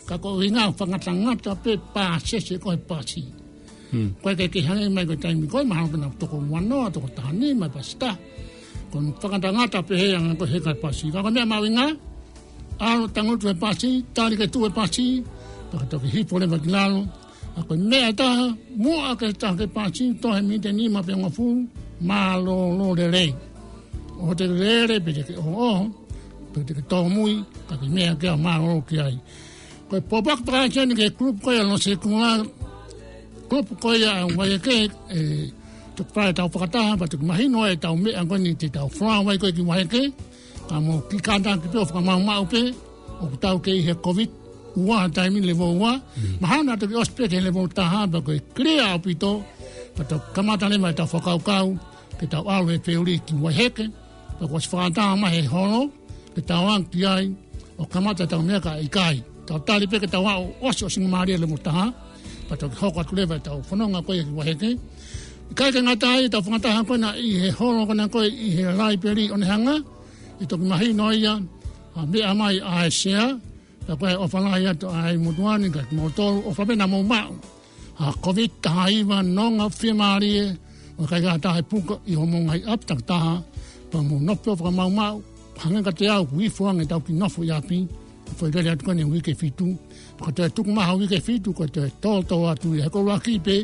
Ka ko e ʻuhinga ʻoku fakangatangata pē e pāsese ko ē he pasi. Hmm. ʻOku ʻikai ke hangē mai ko e taimi ko ē, mahalo pē naʻa toko ua noa, toko taha nima e pasi ʻe taha. Ko e fakangatangata pē he anga ko ē e heka e pasi. Ka ko e meʻa mahuʻinga, ʻalu tangutu he pasi, tali ke tuʻu e pasi, pea ke toki hifo leva ki lalo. ʻA ko e meʻa ʻe taha, muʻa ke taha ki he pasi, toe he miniti ʻe nima pe hongofulu, mālōlō lelei. ʻOua te ke lele, pe te ke ʻohoʻoho, pe te ke tōmui, ka ke meʻa ke ʻa mālōlō ki ai. Ko e pōpoaki pē ʻeni ki he group ko ia Losekula, group ko ia ʻa Vaieke, ʻe, toki fai ʻetau fakataha, pea toki mahino ʻetau meʻa ko eni te tau fly mai ko ē ki Vaieke, ka mou kiʻi kātaki pē ʻo fakamaʻumaʻu pē, ʻoku tau kei ʻi he Covid ua he taimi ni, level ua, Mm. mahalo naʻa toki ʻosi pē ki he level taha, pea ko e clear ʻaupito, pea toki kamata leva ʻetau fakakaukau, ke tau ʻalu he feuli ki Vaieke, pea kuo ʻosi fakataha mai he holo, ke tau aʻu ki ai, ʻo kamata ʻetau meʻa ka ʻikai. Tau tali pē ke tau aʻu ʻo ʻosi ʻo singamālie level taha, pea toki hoko atu leva ʻetau fononga ko ia ki Vaieke. ʻIkai ke ngata ai, ʻetau fakataha ko ena ʻi he holo ko ena ko ē ʻi he laipeli ʻo Onehunga, ʻe toki mahino ia, ʻa meʻa mai ʻa e sea, pea ko e ʻofa lahi atu ʻa e motuʻa ni kiate kimoutolu, ʻofa pē naʻa mou maʻu ʻa e Covid taha hiva, nonga fiemālie, ʻo ʻikai ke ʻi ai ha taha ʻe puka ʻi hoʻomou ngaahi ʻapi takitaha, Pea mou nofo ʻo fakamaumau, hangē kiate au, ʻoku ifo ange ʻetau kiʻi nofo ʻi ʻapi, ʻo fai lele atu ko eni he uike fitu. Pea ko e toe tuku mai ha uike fitu, ko e toe tōtō atu ia. He ko e ʻuluaki pē,